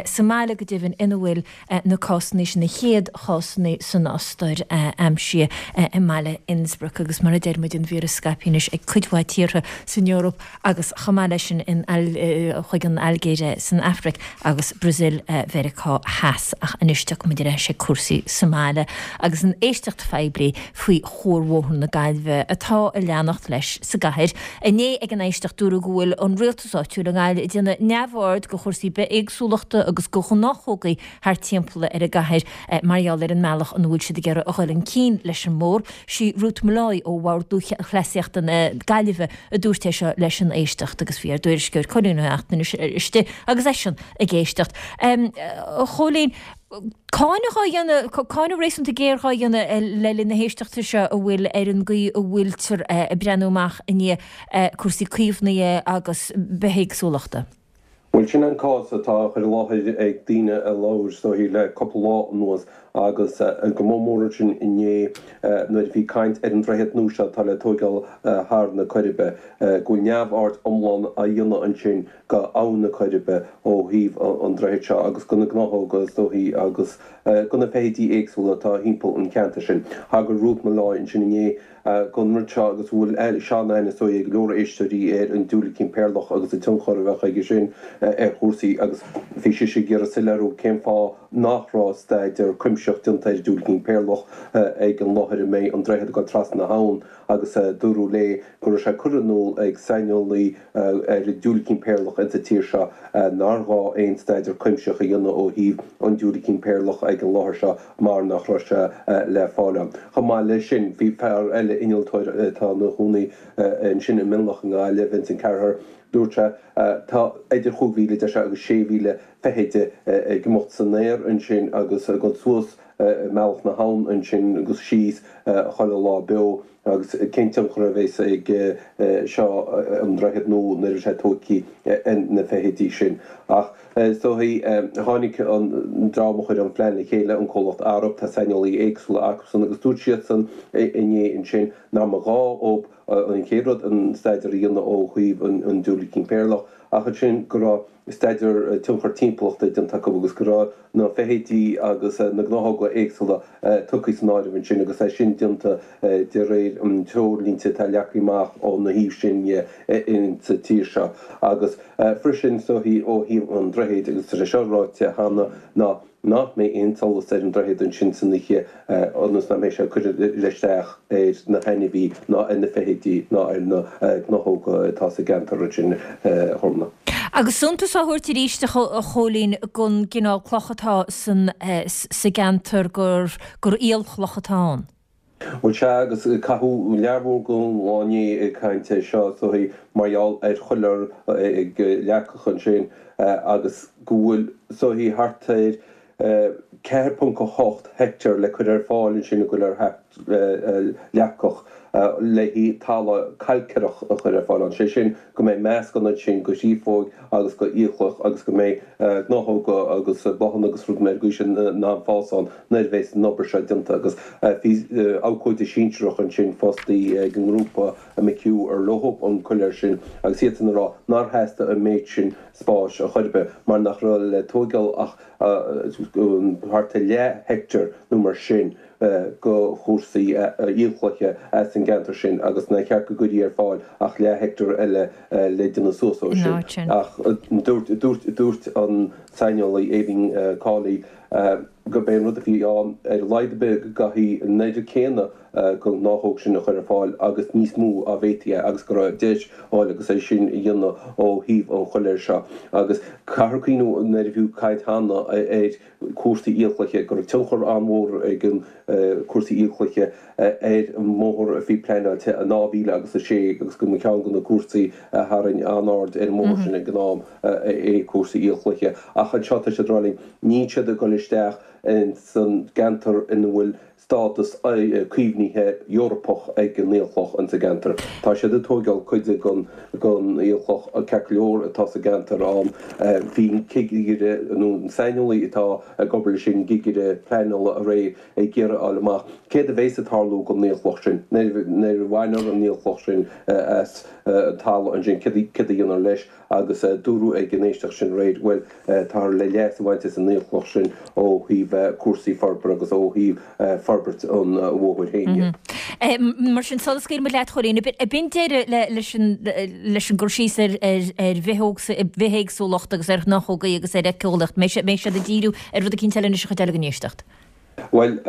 sa mbaile go deimhin ina bhfuil na cásanna sin, na chéad chásanna san Ostair aimsithe i mbaile Innsbruck agus mar a deir muid an víreas scaipthe anois ag cuid mhaith tíortha san Eoraip agus chomh maith leis sin in chuig an Ailgéir san Afraic agus Brazil Mheiriceá Theas. Ach anois tiocfaimid ar ais ag cúrsaí sa mbaile agus an éisteacht phoiblí faoi Chuarbhóthar na Gaillimhe atá ag leanacht leis sa gcathair. Inné ag an éisteacht dúradh go bhfuil an rialtas áitiúil i nGaillimh ag déanamh neamhaird de chúrsaí bithéagsúlachta agus de ghnáthóga thart timpeall ar an gcathair mar gheall ar an mbealach ina bhfuil siad ag iarraidh a dhul chun cinn leis an mbóthar. Sí Ruth Molloy ó Bhord Lúthchleasaíochta na Gaillimhe a dúirt é seo leis an éisteacht agus bhí ár dtuairisceoir Cóilín Ó Neachtain istigh agus eisean ag éisteacht. A Chóilín, Cáineadh á dhéanamh, cáineadh réasúnta géar á dhéanamh le linn na héisteachta seo a bhfuil ar an gcaoi a bhfuiltear ag breathnú amach i ndiaidh cúrsaí caomhnaithe agus bithéagsúlachta. Bhuel, sin an cás atá á chur i láthair ag daoine a labhair is dóichí le cúpla lá anuas agus go mór mór ansin inné nuair a bhí caint ar an droichead nua seo atá le tóigeáil thar na Coiribe, go bhfuil neamhaird iomlán á dhéanamh ansin go Abhainn na Coiribe ó thaobh an droichid seo agus go na gnáthóga is dóichí agus go na feithidí éagsúla atá thimpeall an cheantair sin. Thagair Ruth Molloy ansin inné don rud seo agus bhfuil sean-aithne is dóigh ag go leor éisteoirí ar an diúilicín péarlach agus an tionchar a bheadh aige sin ar chúrsaí agus bhí sise ag iarraidh soiléiriú cén fáth nach raibh staidéar cuimsitheach déanta ar an diúilicín péarlach ag an láthair a mbeidh an droichead ag dul trasna na habhann agus dúradh léi go raibh sé curtha in iúl ag saineolaí ar an diúilicín péarlach insa tír seo nár ghá aon staidéar cuimsitheach a dhéanamh ó thaobh an diúilicín péarlach ag an láthair seo mar nach raibh sé le fáil ann. Chomh maith leis sin, bhí fear eile, innealtóir atá ina chónaí ansin i Mionlach i nGaillimh, Vincent Carraher, dúirt sé, tá idir chúig mhíle, deir sé, agus sé mhíle feithide ag imeacht san aer ansin agus ag dul suas i mbealach na habhann ansin agus síos chuile lá beo agus cén tionchar a bheas ag seo an droichead nua nuair a bheidh sé tógtha ar na feithidí sin. Ach is dóichí tháinig an dream a chuir an phlean le chéile, an comhlacht Arup, tá saineolaí éagsúla acusan agus dúirt siadsan inné ansin nach mba ghá dóibh an chéad rud an staidéar a dhéanamh ó thaobh an diúilicín péarlach ach ansin go raibh staidéar tionchar timpeallachta déanta acu agus go raibh na feithidí agus na gnáthóga éagsúla tugtha san áireamh ansin agus é sin déanta de réir an treoirlínte atá leagtha amach ó na thaobh sin dhe insa tír seo. Agus freisin is dóichí ó thaobh an droichid, agus tá sé seo ráite cheana, ná nach mbeidh aon solas ar an droichead ansin san oíche ionas nach mbeidh sé ag cur isteach ar na hainmhí ná ar na feithidí ná ar na gnáthóga atá sa gceantar ansin, a Ghormfhlaith. Agus suntas á thabhairt arís a Chóilín don gcineál cloch atá san sa gceantar gur gur aolchloch atá ann. Bhuel sea, agus caitheadh lear mhór den lá inné ag caint air seo, is dóichí, mar gheall ar choiléar ag Leacach ansin agus go bhfuil, is dóichí, thart ar ceathair ponc a hocht heicteár le cur ar fáil ansin i gcoiléar Leacach le haghaidh talamh cailcireach a chur ar fáil ann, sé sin go mbeidh meascán ansin de chréafóig agus de fhiacloch agus go mbeidh gnáthóga agus bláthanna agus rudaí mar sin in ann fás ann nuair a bheas an obair seo déanta. Agus bhí abhcóide sinsearach ansin fostaí ag an ngrúpa McHugh ar leo an coiléar sin agus iadsan ag rá nár theastaigh an méid sin spáis ar chor ar bith mar nach raibh le tóigeáil ach thart ar leath heicteár nó mar sin de chúrsaí aolchloiche as an gceantar sin agus nár cheart go gcuirfí ar fáil ach leath heicteár eile le déanamh suas ó sin. Ach dúirt dúirt an saineolaí Aideen Cawley gurb é an rud a bhí ann ar a laghad ar bith go gcaithfí an oiread céanna den ghnáthóg sin a chur ar fáil agus níos mó dá bhféadfaí é agus go raibh deis fháil agus é sin a dhéanamh ó thaobh an choiléir seo. Agus caithfear cuimhniú nuair a bhí caint cheana ar cúrsaí aolchloiche, go raibh tionchar an-mhór ag an cúrsaí aolchloiche ar an mbóthar a bhí pleanáilte in dhá mhíle agus a sé agus go mba cheann de na cúrsaí a tharraing an-aird ar an mbóthar sin ag an am é cúrsaí aolchloiche. Ach anseo tá siad ag rá linn, níl siad ag dul isteach ins an gceantar ina bhfuil stádas caomhnaithe Eorpach ag an aolchloch ins an gceantar. Tá siad ag tóigeáil cuid den aolchloch ceart go leor atá sa gceantar ann. Bhí an cigire nó an saineolaí atá ag obair leis an gcigire pleanála aréir ag iarraidh a fháil amach céard a bheas ag tarlú don aolchloch sin nuair a bhainfear an aolchloch sin as an talamh ansin, céard a dhéanfar leis agus dúradh ag an éisteacht sin aréir, bhuel, táthar le leas a bhaint as an aolchloch sin ó thaobh cúrsaí forbartha agus ó thaobh forbairt an bhóthair féin de. Mar sin, sula scaoilfidh muid leat, a Chóilín, ab in deireadh leis an gcur síos ar bhithéagsúlacht agus ar ghnáthógaí agus ar éiceolaíocht? Mbeidh siad ag díriú ar rud eicínt eile anois an chuid eile den éisteacht? Bhuel,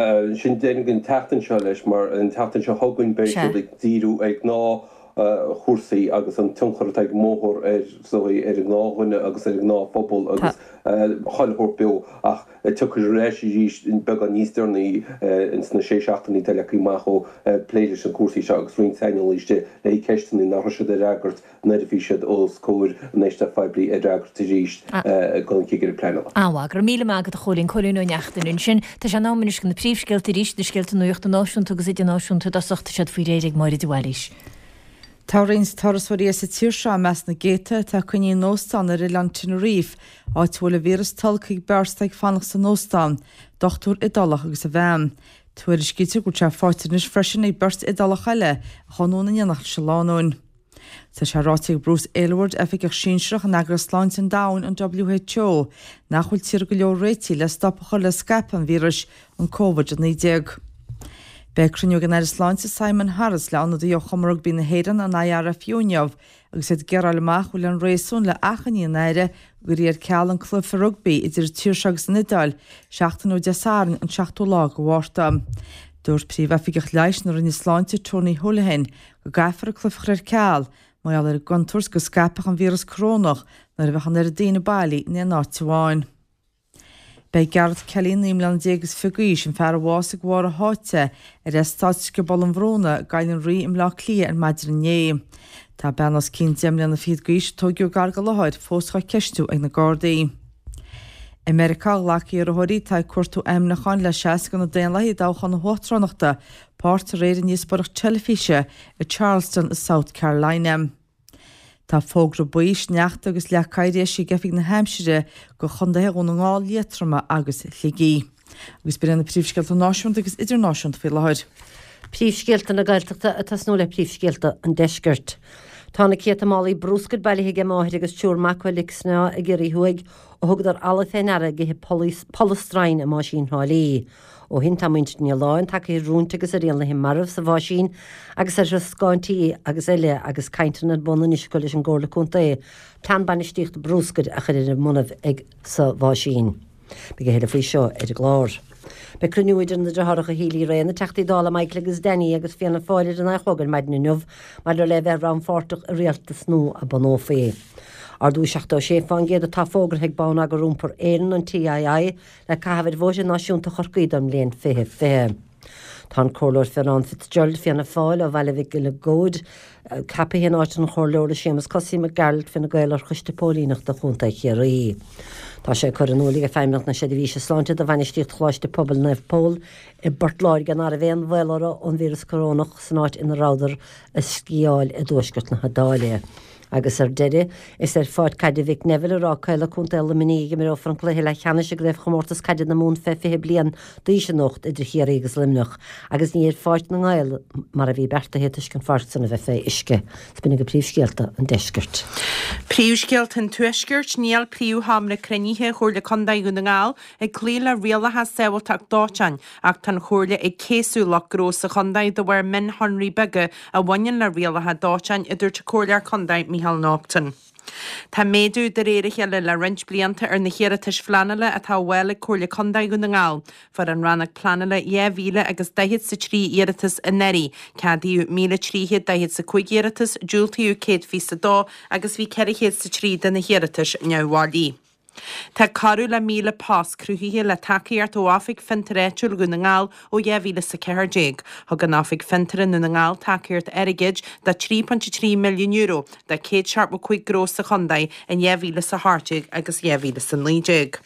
sin deireadh an tseachtain seo leis, mar an tseachtain seo chugainn beidh siad ag díriú ar ghnáthchúrsaí agus an tionchar atá ag an mbóthar ar, is dóigh, ar an ngnáthdhuine agus ar an ngnáthphobal agus chuile shórt beo. Ach tiocfaidh ar ais arís beagán níos deireanaí ins na sé seachtainí atá leagtha amach ó plé leis na cúrsaí seo agus roinnt saineolaí istigh le haghaidh ceisteanna nach raibh siad a fhreagairt nuair a bhí siad os comhair an éisteacht phoiblí a fhreagairt arís don chigire pleanála. An-mhaith. Go raibh míle maith agat a Chóilín. Cóilín Ó Neachtain ansin. Tá sé in am anois do na príomhscéalta arís, na scéalta nuachta náisiúnta agus idirnáisiúnta i dtosach. Tá siad faoi réir ag Máire de Bhailís. Tá roinnt turasóirí as an tír seo i measc na gcéadta atá coinnithe in óstán ar oileán Tenerife, áit a bhfuil an víreas tolgtha ag beirt atá ag fanacht san óstán, dochtúir Iodálach agus a bhean. Tuairiscítear go bhfuil sé faighte anois freisin ag beirt Iodálach eile a chuaigh anonn in éineacht leis an lánúin. Tá sé ráite ag Bruce Aylward, Oifigeach Sinsearach in Eagras Sláinte an Domhain, an WHO, nach bhfuil tíortha go leor réitithe le stop a chur le scaipeadh an víris, an Covid a naoi déag. Beidh cruinniú ag an Aire Sláinte Simon Harris le ionadaithe ó Chumann Rugbaí na hÉireann, an IRFU, inniu agus iad ag iarraidh a fháil amach an bhfuil aon réasún le achainí an Aire go gcuirfí ar ceal an cluiche rugbaí idir an tír seo agus an Iodáil seachtain ó Dé Sathairn an seachtú lá de Mhárta. Dúirt Príomhoifigeach Leighis na Roinne Sláinte Tony Holohan go gcaithfear an cluiche a chur ar ceal mar gheall ar an gcontúirt go scaipfeadh an víreas corónach nuair a bheadh an oiread daoine bailí in aon áit amháin. Beidh Gareth Kelly, naoi mbliana déag is fiche d'aois, an fear a bhásaigh de bharr a sháite ar eastát Scioból an Bhrúna i gCoill an Rí i mBleá Cliath ar maidin inné. Tá bean os cionn deich mbliana fichead d'aois a tóigeadh gar don láthair fós dhá ceistiú ag na Gardaí. I Meiriceá, ghlac iarrthóirí atá ag cuartú ainmniúcháin le seasamh do na Daonlathaigh i dtoghchán na huachtaránachta páirt aréir i ndíospóireacht teilifíse i Charleston i South Carolina. Tá fógra buí sneachta agus leac oighir eisithe ag Oifig na hAimsire do chontaetha Dhún na nGall, Liatroma agus Shligigh. Agus b'in iad na príomhscéalta náisiúnta agus idirnáisiúnta faoi láthair. Príomhscéalta na Gaeltachta ag tosnú le príomhscéalta an Deiscirt. Tá na céadta málaí brúscair bailithe ag máthair agus triúr mac ó Leic Snámha i gCiarraí Thuaidh ó thugadar eallaigh fé ndeara ag ithe polastroim i mbáisín Thrá Lí. Ó shin tá muintir Ní Aoláin tagtha ar rúinte agus ar éanlaithe marbh sa bháisín agus ar throscáin tí agus eile agus cainteanna ar bun anois acu leis an gComhairle Contae plean bainistíochta brúscair a chur ar a mbonnaibh ag sa bháisín. Beidh a thuilleadh faoi seo ar an gclár. Beidh cruinniú idir na deartháireacha Healy-Rae, na Teachtaí Dála Michael agus Danny agus Fianna Fáil ar a naoi a chlog ar maidin inniu maidir le bheith rannpháirteach i rialtas nua a bunófaí. Ardú seachtó sé fán gcéad atá fógartha ag Bonneagar Iompair Éireann, an TII, le caitheamh ar bhóithre náisiúnta Chorcaí don mbliain fiche fiche. Tá an Comhairleoir Fionán Fitzgerald Fianna Fáil ó Bhaile Mhic Giolla Góid ceaptha in áit an Chomhairleora Séamus Cosaí Mac Gearailt Fine Gael ar Choiste Póilíneachta Chontae Chiarraí. Tá sé curtha in iúl ag Feidhmeannacht na Seirbhíse Sláinte do bhainistíocht Choláiste Pobail Naomh Pól i bPort Láirge nach raibh aon bhaol orthu ón víreas corónach san áit ina rabhadar ag sciáil i dtuaisceart na hIodáile. Agus ar deireadh, is ar Pháirc Caide Mhick Neville i Ráth Caola, Contae Luimnigh, a imreofar an cluiche leathcheannais i gCraobhchomórtas Caide na Mumhan fé fiche bliain d'aois anocht idir Chiarraí agus Luimneach, agus ní ar Pháirc na nGael mar a bhí beartaithe toisc an pháirc san a bheith fé uisce. Is b'in iad príomhscéalta an deiscirt. Príomhscéalta an Tuaiscirt, Níl príomhsheomra cruinnithe Chomhairle Contae Dhún na nGall ag cloí le rialacha sábháilteacht dóiteáin ach tá an Chomhairle ag céasadh lucht gnó sa chontae de bharr mionshonraí beaga a bhaineann le rialacha dóiteáin, a dúirt an Comhairleoir Contae Micheál Naughton. Tá méadú de réir a chéile le roinnt blianta ar na hiarratais phleanála atá á bhfáil ag Comhairle Contae Dhún na nGall. Fuair an Rannóg Pleanála dhá mhíle agus daichead 's a trí iarratas anuraidh, ceadaíodh míle trí chéad daichead 's a cúig iarratas, diúltaíodh céad fiche 's a dó agus bhí ceithre chéad 's a trí de na hiarratais neamhbhailí. Tá corradh le míle post cruthaithe le tacaíocht ó Oifig Fiontair Áitiúil Dhún na nGall ó dhá mhíle is a ceathair déag. Thug an Oifig Fiontair i nDún na nGall tacaíocht airgid de trí pointe trí milliún euro do céad seachtó cúig gnó sa chontae in dhá mhíle is a hocht déag agus dhá mhíle is a naoi déag.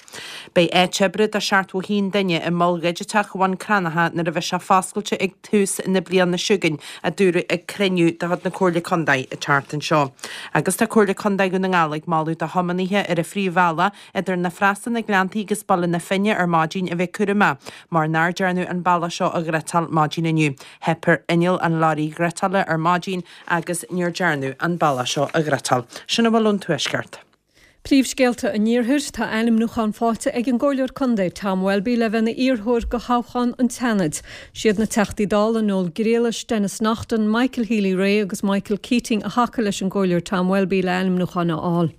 Beidh áit oibre do seachtó a haon duine i Mol Dhigiteach Bhun Cranncha nuair a bheidh sé foscailte ag tús na bliana seo chugainn, a dúradh ag cruinniú de chuid na Comhairle Contae an tseachtain seo. Agus tá Comhairle Contae Dhún na nGall ag moladh do thiománaithe ar an phríomhbhealach idir na Freasa na Gleanntaí agus Baile na Finne ar maidin a bheith cúramach mar nár dearnadh an bealach seo a ghreiteáil maidin inniu. Theip ar inneall an leoraí ghreiteála ar maidin agus níor dearnadh an bealach seo a ghreiteáil. Sin a bhfuil ón Tuaisceart. Príomhscéalta an Iarthair, Tá ainmniúchán faighte ag an gComhairleoir Contae Tom Welby le bheith ina iarrthóir go thoghchán an tSeanaid. Siad na Teachtaí Dála Noel Grealish, Denis Naughten, Michael Healy-Rae agus Michael Keating a thacaigh leis an gComhairleoir Tom Welby le ainmniúchán a fháil.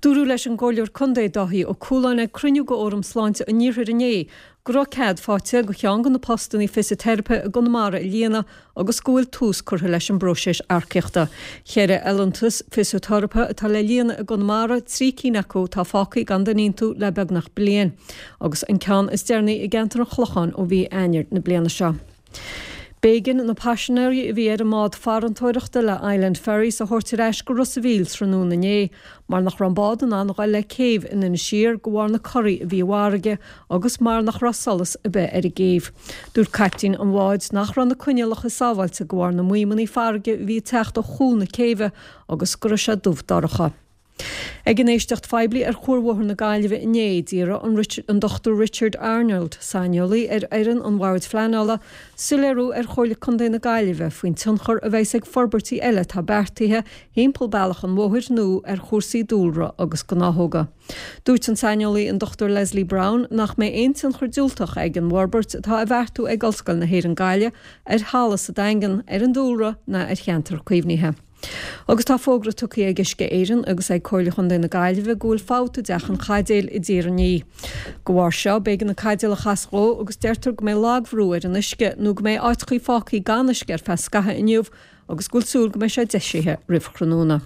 Dúradh leis an gComhairleoir Contae Dáithí Ó Cualáin ag cruinniú de Fhóram Sláinte an Iarthair inné go raibh cead faighte go cheann de na postanna fisiteiripe i gConamara a líonadh agus go bhfuil tús curtha leis an bpróiseas earcaíochta. Ceithre fholúntas fisiteiripe atá le líonadh i gConamara, trí cinn acu atá fágtha gan duine iontu le beagnach bliain, agus an ceann is deireanaí i gceantar an Chlocháin ó mhí Eanáir na bliana seo. B'éigean na paisinéirí a bhí ar an mbád farantóireachta le Island Ferries a thabhairt ar ais go Ros a' Mhíl tráthnóna inné mar nach raibh an bád in ann a ghoil le céibh in Inis Oírr de bharr na corraí a bhí i bhfarraige agus mar nach raibh solas ar bith ar an gcéibh. Dúirt caiptín an bháid nach raibh na coinníollacha sábháilte de bharr na maidhmeanna farraige a bhí ag teacht ó chúl na céibhe agus go raibh sé dubh dorcha. Ag an éisteacht phoiblí ar Chuarbhóthar na Gaillimhe inné, d'iarr an Dochtúir Richard Arnold, saineolaí ar fhoireann an Bhoird Phleanála, soiléiriú ar Chomhairle Contae na Gaillimhe faoin tionchar a bheas ag forbairtí eile atá beartaithe thimpeall bealach an bhóthair nua ar chúrsaí dúlra agus gnáthóga. Dúirt an saineolaí an Dochtúir Leslie Browne nach mbeidh aon tionchar diúltach ag an bhforbairt atá á bheartú ag Ollscoil na hÉireann Gaillimh ar thalamh sa Daingean, ar an dúlra ná ar cheantar caomhnaithe. Agus tá fógra tugtha ag Uisce Éireann agus ag Comhairle Chontae na Gaillimhe go bhfuil fabht i dteach an chaidéil i dTír an Fhia. De bharr seo, b'éigean an caidéal a chasadh dhó agus deirtear go mbeidh lagbhrú ar an uisce nó go mbeidh áiteachaí fágtha gan uisce ar feadh scaithimh inniu agus go bhfuil súil go mbeidh sé deisithe roimh thráthnóna.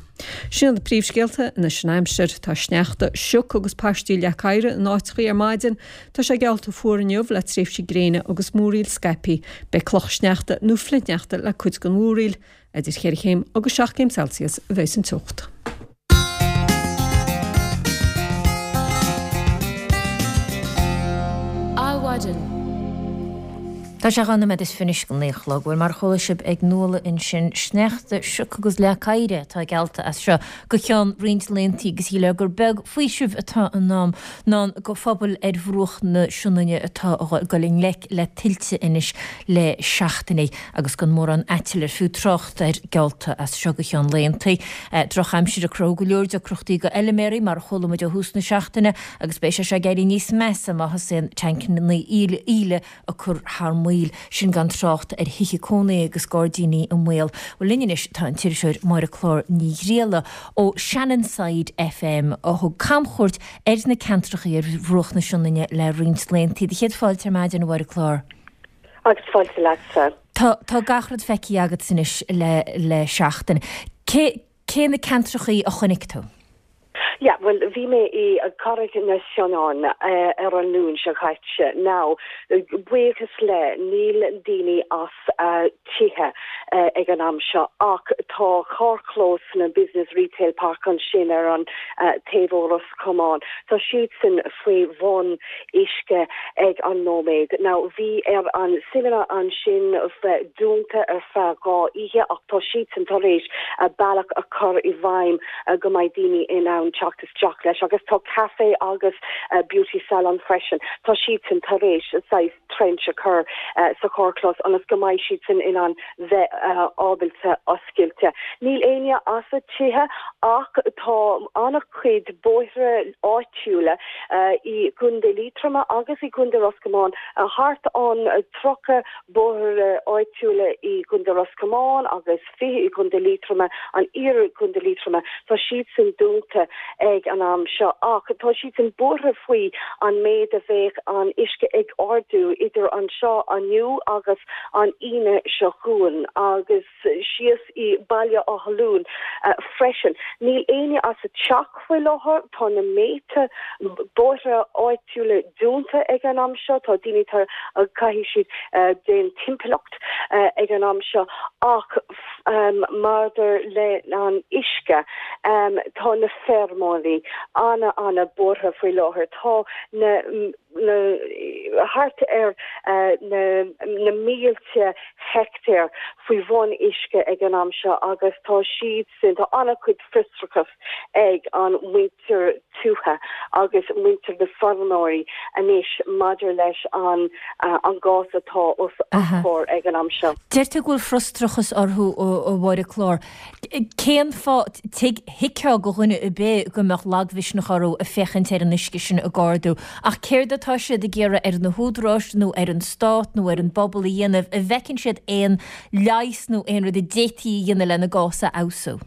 Sin iad na príomhscéalta anois an aimsir. Tá sneachta, sioc agus paistí leac oighir in áiteachaí ar maidin. Tá sé geallta fuar inniu le tréimhsí gréine agus múraíl scaipthe. Beidh cloch sneachta nó flichshneachta le cuid den mhúraíl. Idir cheithre chéim agus seacht gcéim Celsius a bheas an teocht. Adhmhaidin. Tá sé dhá nóiméad is fiche anois go naoi a chlog. Bhuel, mar a chuala sibh ag Nuala ansin, sneachta, sioc agus leac oighir atá geallta as seo go ceann roinnt laethanta agus shílfeá gur beag faoiseamh atá i ndán do phobail ar bhruach na Sionainne atá ag dul i ngleic le tuilte anois le seachtainí. agus gan mórán aiteal ar fiú trácht air geallta as seo go ceann laethanta. Drochaimsir ag cruthú go leor deacrachtaí do fheilméaraí, mar a chuala muid ó thús na seachtaine, agus beidh sé seo ag éirí níos measa má thosaíonn tancanna íle ag cur thar maoil, sin gan trácht ar thithe cónaithe agus gairdíní i mbaol. Bhuel, linn anois tá an t-iriseoir Máire Clár Ní Ghriallais ó Shannonside FM a thug camchuairt ar na ceantracha ar bhruach na Sionainne le roinnt laethanta. Do chéad fáilte ar maidin, a Mháire Clár. Agus fáilte leatsa. Tá tá gach rud feicthe agat anois le le seachtain. Cé cé na ceantrachaí a chonaic tú? Yeah, well, bhí mé i gCarraig na Sionainne ar an Luan seo caite. Now, buíochas le níl daoine as uh, tithe uh, ag an am seo ach tá carrchlós na Business Retail Park ansin ar an uh, taobh ó Ros Comáin. Tá siad sin faoi bhun uisce ag an nóiméad. Now bhí ar an cinema ansin dúnta ar feadh dhá oíche ach tá siad sin tar éis a bealach a chur i bhfeidhm go mbeidh daoine in ann teacht isteach leis agus tá café agus uh, beauty salon freisin. Tá siad sin tar éis saghas trench a chur uh, sa charrchlós ionas go mbeidh siad sin in ann bheith uh, ábalta oscailte. Níl éinne as a tithe ach tá an-chuid bóithre áitiúla uh, i gContae Liatroma agus i gContae Ros Comáin uh, thart an uh, tríocha bóithre áitiúla i gContae Ros Comáin agus fiche i gContae Liatroma an iar gContae Liatroma tá siad sin dúnta ag an am seo ach tá siad sin buartha faoi an méid a bheidh an uisce ag ardú idir anseo inniu agus an Aoine seo chugainn agus síos i Baile Átha Luain uh, freisin. Níl éinne as a teach faoi láthair tá na mílte bóithre áitiúla dúnta ag an am seo tá daoine tar caithfidh siad uh, den timpeallacht uh, ag an am seo ach um, maidir le an uisce um, tá na feirmeoirí ana ana buartha faoi láthair tá na na thart ar uh, na, na mílte heicteár faoi bhun uisce ag an am seo agus tá siad sin tá an-chuid frustrachas ag an muintir tuaithe agus muintir na feirmeoirí anois maidir leis an uh, an gcás atá os a gcomhair ag an am seo. Deir tú go bhfuil frustrachas orthu a Mháire Clár. Cén fáth thuigfeá go dhuine ar bith go mbeadh lagmhisneach orthu ag féachaint ar an uisce sin ag ardú, ach céard atá siad ag iarraidh ar na húdaráis nó ar an stát nó ar an bpobal a dhéanamh an bhfeiceann siad aon leigheas nó aon rud a d'fhéadfaí a dhéanamh lena gcás a fheabhsú.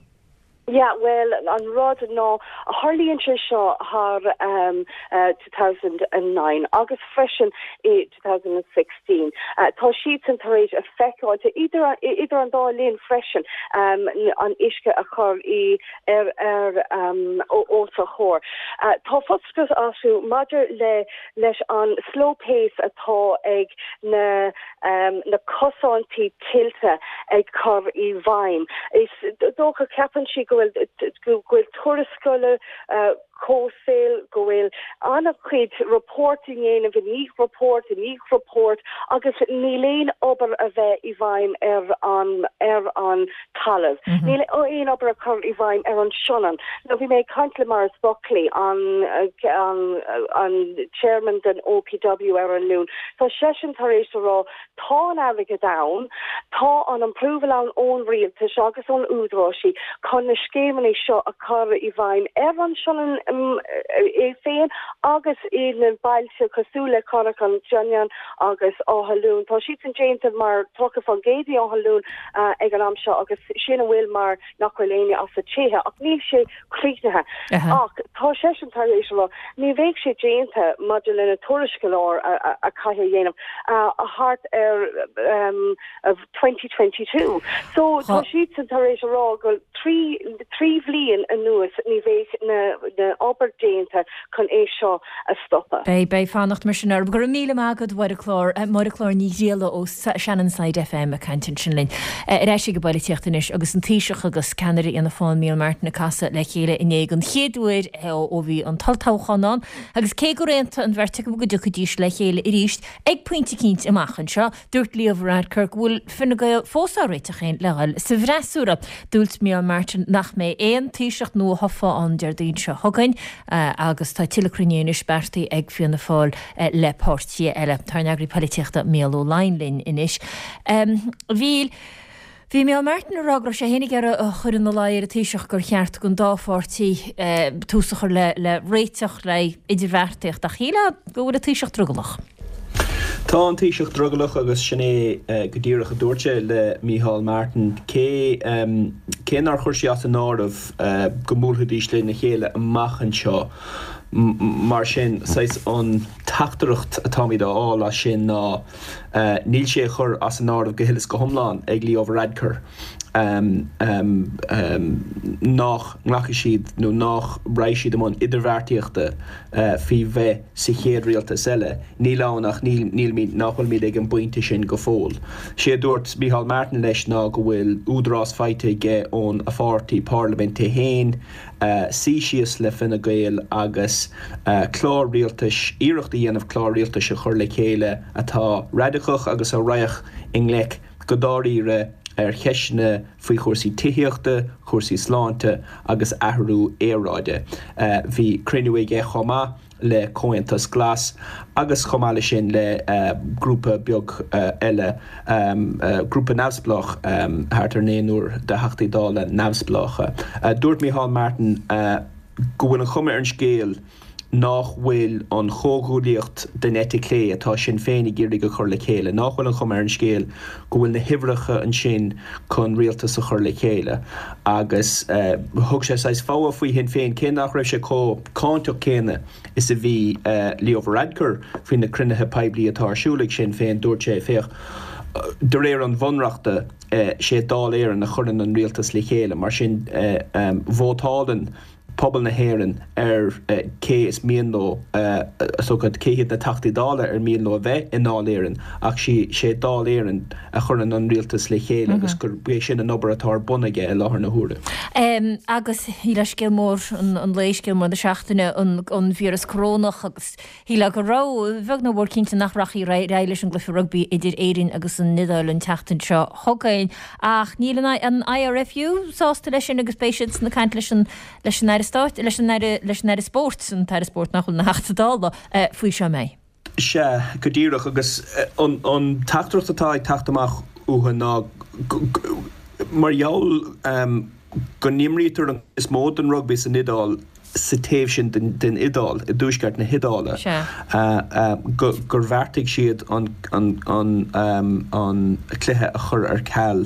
Yeah, well an rud ná tharlaíonn sé seo thar um, uh, two thousand and nine agus freisin i two thousand and sixteen. Uh, tá siad sin tar éis a feiceáil idir idir an dá linn freisin um, an uisce a chur i ar ar um, os a chomhair. Uh, tá frustrachas orthu maidir le leis an slow pace atá ag na um, na cosaintí tuilte ag cur i bhfeidhm. Is dócha ceapann siad go bhfuil go bhfuil tuarascála uh, comhshaoil go bhfuil an-chuid report i ndéanamh i ndiaidh report i ndiaidh report agus níl aon obair a bheith i bhfeidhm ar an ar an talamh. Mm -hmm. Níl aon obair a chur i bhfeidhm ar an Sionainn. Now bhí mé ag caint le Maurice Buckley an an an chairman den O P W ar an Luan. Tá seisean tar éis a rá tá an airgead ann, tá an approval ann ón rialtas agus ón údaráis chun na scéimeanna seo a chur i bhfeidhm ar an Sionainn um, é féin agus i na bailte cosúil le Carraig an tSionainn agus Áth Luain. Tá siad sin déanta mar tríocha faoin gcéad i Áth Luain uh, ag an am seo agus sin a bhfuil mar nach bhfuil éinne as a tithe ach níl sé críochnaithe. Ach tá seisean tar éis rá ní bheidh sé déanta maidir lena tuarascáil a, a caithfidh dhéanamh uh, a thart ar um, of twenty twenty-two. So tá siad sin tar éis rá go trí trí bhliain anuas ní bheidh na na obair déanta chun é seo a stopadh. Beidh beidh fanacht mar sin ar go raibh míle maith agat Máire Clár Máire Clár Ní Ghrialla ó Shannonside F M ag caint ansin linn. Ar ais ag an bpolaitíocht anois agus an Taoiseach agus ceannaire Fhianna Fáil Micheál Martin ag casadh le chéile inné den chéad uair ó bhí an t-olltoghchán ann, agus cé gur aontaigh an bheirt acu go dtiocfaidís le chéile arís ag pointe eicínt amach anseo, dúirt Leo Varadkar go bhfuil Fine Gael fós á réiteach féin le dhul sa bhfreasúra. Dúirt Micheál Martin nach mbeidh aon Taoiseach nua-thofa ann Déardaoin seo chugainn agus tá tuilleadh cruinnithe anois beartaithe ag Fianna Fáil le páirtithe eile. Tá ár n-eagraí polaitíochta Mícheál Ó Laighin linn anois. Bhí Bhí Micheál Martin ag rá go raibh sé féin ag iarraidh a chur ina luí ar an Taoiseach gur cheart don dá pháirtí tús a chur le le réiteach le idirbheartaíocht ach shílfeá go bhfuil an Taoiseach drogallach. Tá an Taoiseach drogallach agus sin é go díreach a dúirt sé le Micheál Martin cé cé nár chuir sé as an áireamh go mbuailfidís lena chéile amach anseo. Mar sin saghas an teachtaireacht atáimid a fháil as sin ná níl sé á chur as an áireamh go huile is go hiomlán ag Leo Varadkar. nach nglacfaidh siad nó nach raghaidh siad i mbun idirbheartaíochta faoi bheith sa chéad rialtas eile. Níl ann ach nílimid, nach bhfuilimid ag an bpointe sin go fóill. Sé a dúirt Micheál Martin leis ná go bhfuil údarás faighte aige ón a pháirtí parlaiminte féin suí síos le Fine Gael agus clár rialtais, iarracht a dhéanamh clár rialtais a chur le chéile atá raidiceach agus a raghadh i ngleic go dáiríre ar cheisteanna faoi chúrsaí tithíochta, cúrsaí sláinte agus athrú aeráide. Bhí cruinniú aige chomh maith le Comhaontas Glas agus chomh maith leis sin le grúpa beag eile, grúpa neamhspleách, thart ar naonúr de Theachtaí Dála neamhspleácha. Dúirt Micheál Martin go bhfuil an chuma ar an scéal nach bhfuil an chomhghuaillíocht den eite chlé atá Sinn Féin ag iarraidh a chur le chéile, nach bhfuil an chuma ar an scéal go bhfuil na huimhreacha ansin chun rialtas a chur le chéile. Agus thug sé saghas fogha faoi Shinn Féin, cé nach raibh sé chomh cáinteach céanna is a bhí Leo Varadkar faoi na cruinnithe poiblí atá ar siúl ag Sinn Féin, dúirt sé, féach, de réir an Bhunreachta, sé Dáil Éireann a chuireann an rialtas le chéile, mar sin vótálann pobal na hÉireann ar cé is mian leo, cé hiad na Teachtaí Dála ar mian leo a bheith i nDáil Éireann ach sé Dáil Éireann a chuireann an rialtas le chéile agus gurb é sin an obair atá ar bun aige i láthair na huaire. Agus shílfeá scéal mór an lae, scéal mór na seachtaine, an víreas corónach agus shílfeá go raibh, beag nó mór cinnte nach rachfaí ar aghaidh leis an gcluiche rugbaí idir Éirinn agus an Iodáil an tseachtain seo chugainn ach níl an IRFU sásta leis sin agus beidh siad ag caint leis an leis an Aire Stáit, leis an Aire, leis an Aire Spóirt, an tAire Spóirt nach bhfuil ina Theachta Dála, faoi seo an mbeidh? Sea, go díreach, agus an teachtaireacht atá ag teacht amach uathu ná mar gheall go n-imrítear an chuid is mó den rugbaí san Iodáil sa taobh sin den Iodáil, i dtuaisceart na hIodáile, gur bheartaigh siad an cluiche a chur ar ceal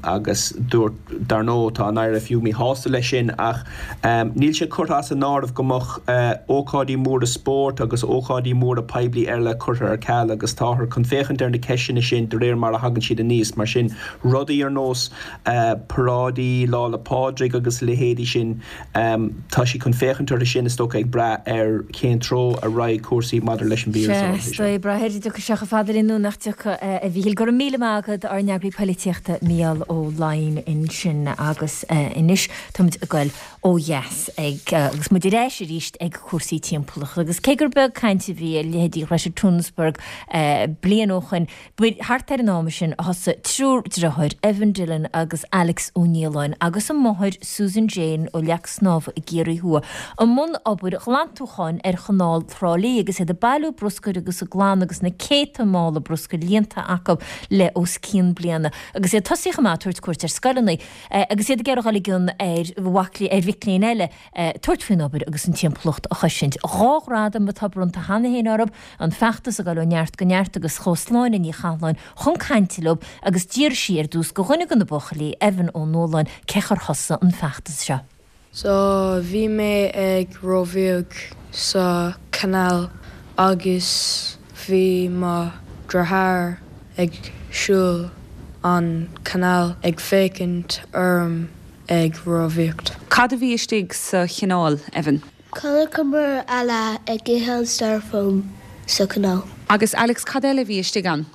agus dúirt, dar ndóigh, tá an IRFU míshásta leis sin ach níl sé curtha as an áireamh go mbeadh ócáidí móra spóirt agus ócáidí móra poiblí eile curtha ar ceal agus táthar chun féachaint ar na ceisteanna sin de réir mar a thagann siad aníos. Mar sin, rudaí ar nós paráidí Lá 'le Pádraig agus a leithéidí sin, tá siad chun féachaint orthu sin, is dócha, ag brath ar cén treo a raghaidh cúrsaí maidir leis an víreas áirithe seo. Sea, ag brath ar an dtiocfaidh sé chomh fada linn nó nach dtiocfaidh, a Mhíchíl. Go raibh míle maith agat, ár n-eagraí poilitíochta Mícheál Ó Laighin ansin. Agus anois táimid ag goil ó dheas ag, agus muid ar ais arís ag cúrsaí timpeallachta. Agus cé gur beag caint a bhí ar leithéidí Ghreta Thunberg bliain ó shoin, ba thart ar an am sin a thosaigh triúr deartháir, Evan Dillon agus Alex Ó Nialláin agus a máthair Susan Jane ó Leac Snámha i gCiarraí Thuaidh, i mbun obair ghlantúcháin ar Chanáil Thrá Lí agus iad ag bailiú bruscair agus ag glanadh agus na céadta mála bruscair líonta acu le os cionn bliana agus iad tosaithe chomh maith ag tabhairt cuairt ar scoileanna agus iad ag iarraidh dul i gcion ar mhac ar mhic léinn eile tabhairt faoin obair agus an timpeallacht a chosaint. Dhá ghradam atá bronnta cheana féin orthu, an feachtas ag dul ó neart go neart agus chuaigh Sláine Ní Chathalláin chun cainte leo agus d'fhiafraigh sí ar dtús de dhuine de na buachaillí, Evan Ó Nualláin, cé chor thosaigh an feachtas seo. So bhí mé ag rámhaíocht sa canal agus bhí mo dheartháir ag siúl an canal ag féachaint orm ag rámhaíocht. Cad a bhí istigh sa chanáil, Evan? Chonaiceamar eala ag ithe an styrofoam sa canal. Agus Alex, cad eile a bhí istigh ann?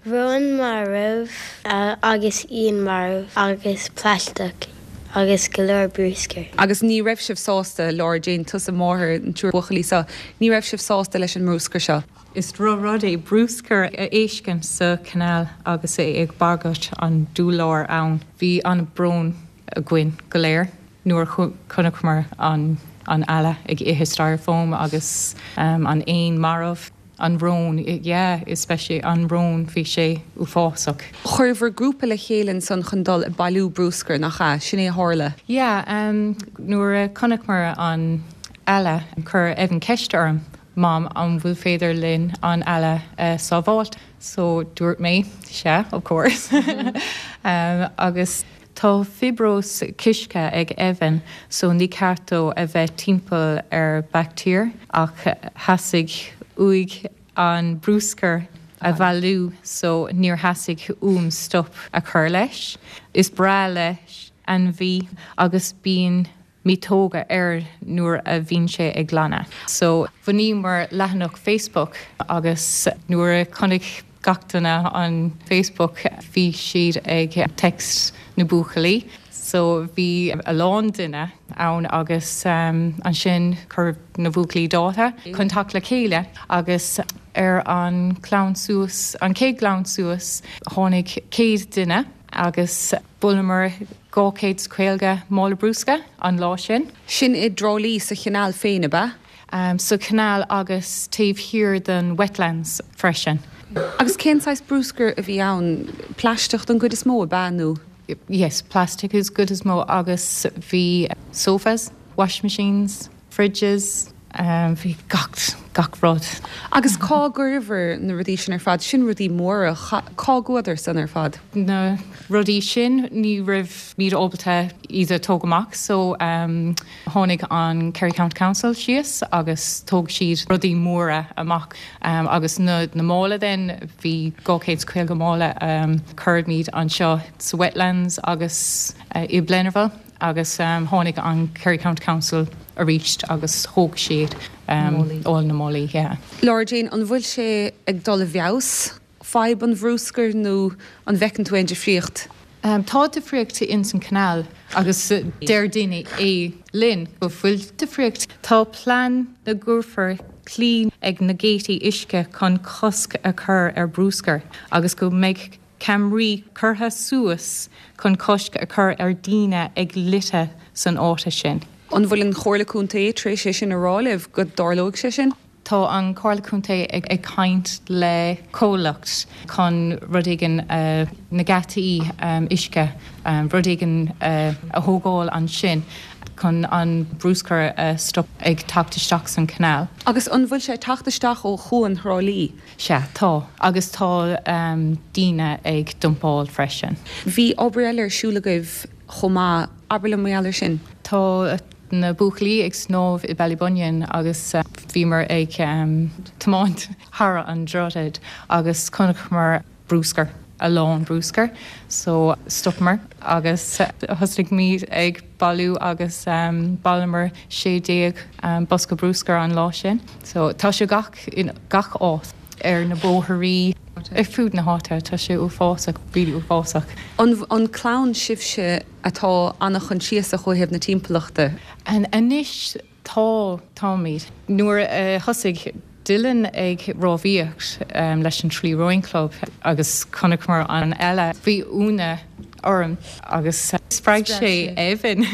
Rón marbh agus éan marbh agus plaisteach agus go leor bruscair. Agus ní raibh sibh sásta, Laura Jane, tusa máthair an triúr buachaillí seo, ní raibh sibh sásta leis an mbruscar seo? Is drochrud é bruscar a fheiscint sa canal agus é ag bagairt an dúlra ann. Bhí an-brón againn go léir nuair a chonaiceamar an eala ag ithe styrofoam agus an éan marbh. An rón, yeah, especially an rón, bhí sé uafásach. Chuir bhur grúpa le chéile ansan chun dul ag bailiú bruscair, nach ea? Sin é a tharla? Yeah, nuair a chonaiceamar an eala, chuir Evan ceist orm, Mam, an bhfuil féidir linn an eala a sábháilt? So dúirt mé, sea, of course. Agus tá fiobróis cisteach ag Evan so ní ceart dó a bheith timpeall ar baictéir ach theastaigh uaidh an bruscar a bhailiú so níor theastaigh uaim stop a chur leis. Is breá leis ainmhí agus bíonn miotóga air nuair a bhíonn sé ag glanadh. So bhunaíomar leathanach Facebook agus nuair a chonaic gach duine an Facebook bhí siad ag text na buachaillí. So bhí a lán duine ann agus um, ansin chuir na buachaillí dáta chun teacht le chéile agus ar an glanadh suas an chéad glanadh suas tháinig céad duine agus bhailíomar dhá chéad is caoga mála bruscair an lá sin. Sin i dTrá Lí sa chanáil féin ab ea? Um, sa chanáil agus taobh thiar den wetlands freisin. Agus cén saghas bruscair a bhí ann plaisteach den gcuid is mó ab ea nó? Yes, plastic is cuid is mó agus bhí sofas, wash machines, fridges, um, bhí gach gach rud. Agus cá gcuireabhair na rudaí sin ar fad sin rudaí móra cá gcuadar san ar fad. Na rudaí sin ní raibh muid ábalta iad a tóg amach, so um, tháinig an Kerry County Council síos agus thóg siad rudaí móra amach um, agus na, na mála den bhí dhá chéad caoga mála um, chuireamar anseo sa wetlands agus uh, i Blennerville agus um, tháinig an Kerry County Council arís agus thóg siad um, all na málaí. Yeah. Laura Jane an bhfuil sé ag dul i bhfeabhas fadhb an bhruscair nó an bhfeiceann tú aon difríocht? Um, tá difríocht in san canal agus deir daoine é linn go bhfuil difríocht. Tá plean na gcuirfear claí ag na geataí uisce chun cosc a chur ar bruscar agus go mbeidh ceamaraí curtha suas chun cosc a chur ar daoine ag litter san áit sin. An bhfuil an Chomhairle Contae tar éis sé sin a rá libh go dtarlóidh sé sin? Tá an Chomhairle Contae ag, ag caint le comhlacht chun rud éigin uh, na geataí um, uisce um, rud éigin uh, a thógáil ansin chun an bruscar uh, stop ag teacht isteach san canal. Agus an bhfuil sé teacht isteach ó chuan Thrá Lí? Sea tá agus tá um, daoine ag dumpáil freisin. Bhí obair eile ar siúl agaibh chomh maith abair liom mar sin. Tá na buachaillí ag snámh i Ballybunion agus uh, bhíomar ag um, tiomáint thar an droichead agus chonaiceamar bruscar a lán bruscar, so stopamar agus thosaigh muid ag bailiú agus um, bhailíomar sé déag um, bosca bruscar an lá sin. So tá sé gach in gach áit ar na bóithre ar fud na háite tá sé uafásach really uafásach. An, an clann sibhse atá an-choinsiasach ó thaobh na timpeallachta? An anois tá táimid. Nuair uh, thosaigh Dylan ag rámhaíocht um, leis an Tralee Rowing Club agus chonaiceamar an eile bhí ionadh orm agus spreag sé Evan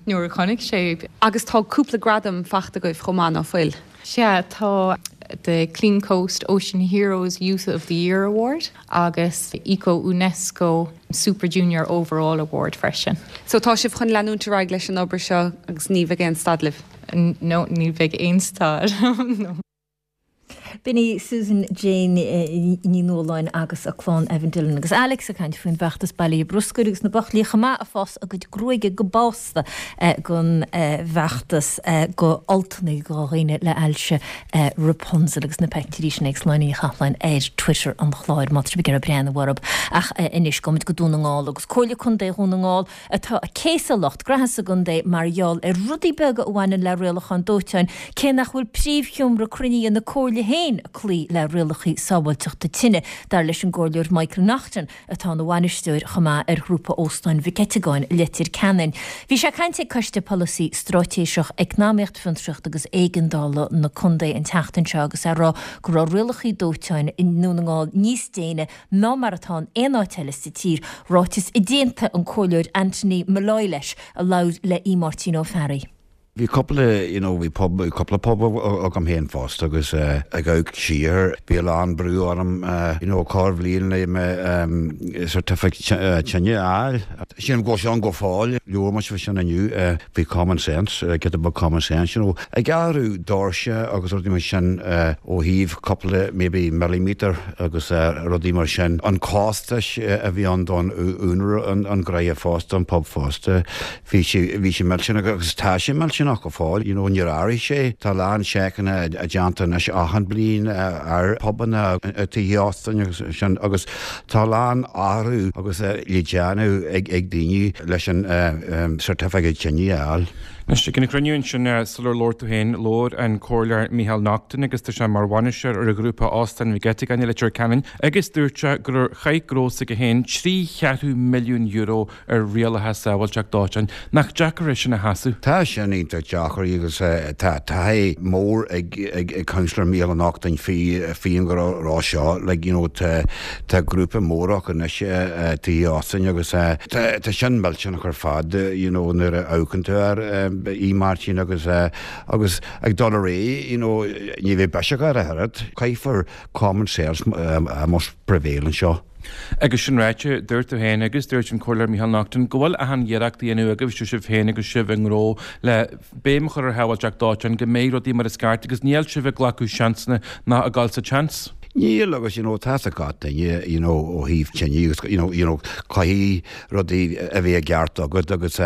nuair a chonaic sé. Agus tá cúpla gradam faighte agaibh chomh maith nach bhfuil. Sea tá the Clean Coast Ocean Heroes Youth of the Year Award agus Eco UNESCO Super Junior Overall Award freisin. So tá sibh chun leanúint ar aghaidh leis an obair seo agus ní bheidh aon stad libh. No ní bheidh aon stad. no. B'in í Susan Jane Ní Nualláin agus a clann Evan Dillon agus Alex ag caint faoin bhfeachtas bailithe bruscair agus na buachaillí chomh maith ag fás a gcuid gruaige go básta don bhfeachtas go altanna go dhaoine le ailse Rapunzel agus na pictiúirí sin ag Sláine Ní Chathalláin ar Twitter an chláir má tá sibh ag breathnú orthu ach anois gabhfaimid go Dún na nGall agus Comhairle Contae Dhún na nGall atá ag céasadh lucht graithe sa gcontae mar gheall ar rudaí beaga a bhaineann le rialacháin dóiteáin cé nach bhfuil príomhsheomra cruinnithe na Comhairle féin ag cloí le rialacha sábháilteachta tine dar leis an gcomhairleoir Michael Naughton atá ina bhainisteoir chomh maith ar ghrúpa Óstáin Mhic Eiteagáin Leitir Ceanainn. Bhí sé ag caint ag Coiste Polasaí Straitéiseach Eacnamaíocht Fiontraíocht agus Éigeandála na Contae an tseachtain seo agus é ag rá go raibh rialacha dóiteáin i nDún na nGall níos déine ná mar atá in aon áit eile sa tír, ráiteas a d'aontaigh an comhairleoir Anthony Molloy leis a labhair le í Máirtín Ó Fearraigh. Bhí cúpla you know, bhí pub cúpla pub agam féin fosta agus uh, ag amharc siar bhí a lán brú orm uh, you know, corrbhliain le me um, certificate uh, tine a fháil. Sin go sean go fáil leor sin sin inniu uh, bhí common sense uh, get about common sense you know. Ag athrú doirse agus rudaí mar sin uh, ó thaobh cúpla maybe millimeter agus uh, rudaí mar sin an costas uh, a bhí an don úinéir an, an gnó fosta an pub fosta bhí sé bhí sé millteanach agus tá sé millteanach millteanach go fóill, you know, níor athraigh sé. Tá a lán seiceanna déanta anois achan bliain ar pubanna, tithe óstáin agus sin agus tá a lán athrú agus le déanamh ag ag daoine leis an certificate tine a fháil. Anois, ag an gcruinniú ansin sular labhair tú féin, labhair an Comhairleoir Micheál Naughton agus tá sé mar bhainisteoir ar an ghrúpa Óstán Mhic Eiteagáin i Leitir Ceanainn agus dúirt sé gur chaith gnó s'aige féin trí cheathrú milliún euro ar rialacha sábháilteacht dóiteáin. Nach deacair é sin a sheasamh? Tá sin iontach deacair agus tá taithí mór ag ag ag Councillor Micheál Naughton faoi faoi an ngnó seo. Like, you know, tá tá grúpa mór acu anois tithe óstáin agus tá tá sin millteanach ar fad, you know, nuair a amharcann tú air a Mháirtín agus agus ag dul ar aghaidh, you know, ní bheidh biseach air a oiread. Caithfear common sense must prevail anseo. Agus sin ráite, dúirt tú féin agus dúirt an Comhairleoir Micheál Naughton go bhfuil achan iarracht á dhéanamh agaibh sibh féin agus sibh i ngnó le béim a chur ar shábháilteacht dóiteáin go mbeidh rudaí mar is ceart agus níl sibh ag glacadh seansanna ná ag dul sa tseans. Níl agus you know tá a fhios ag gach duine you know ó thaobh tine agus you know you know caithfidh rudaí a bheith i gceart agat agus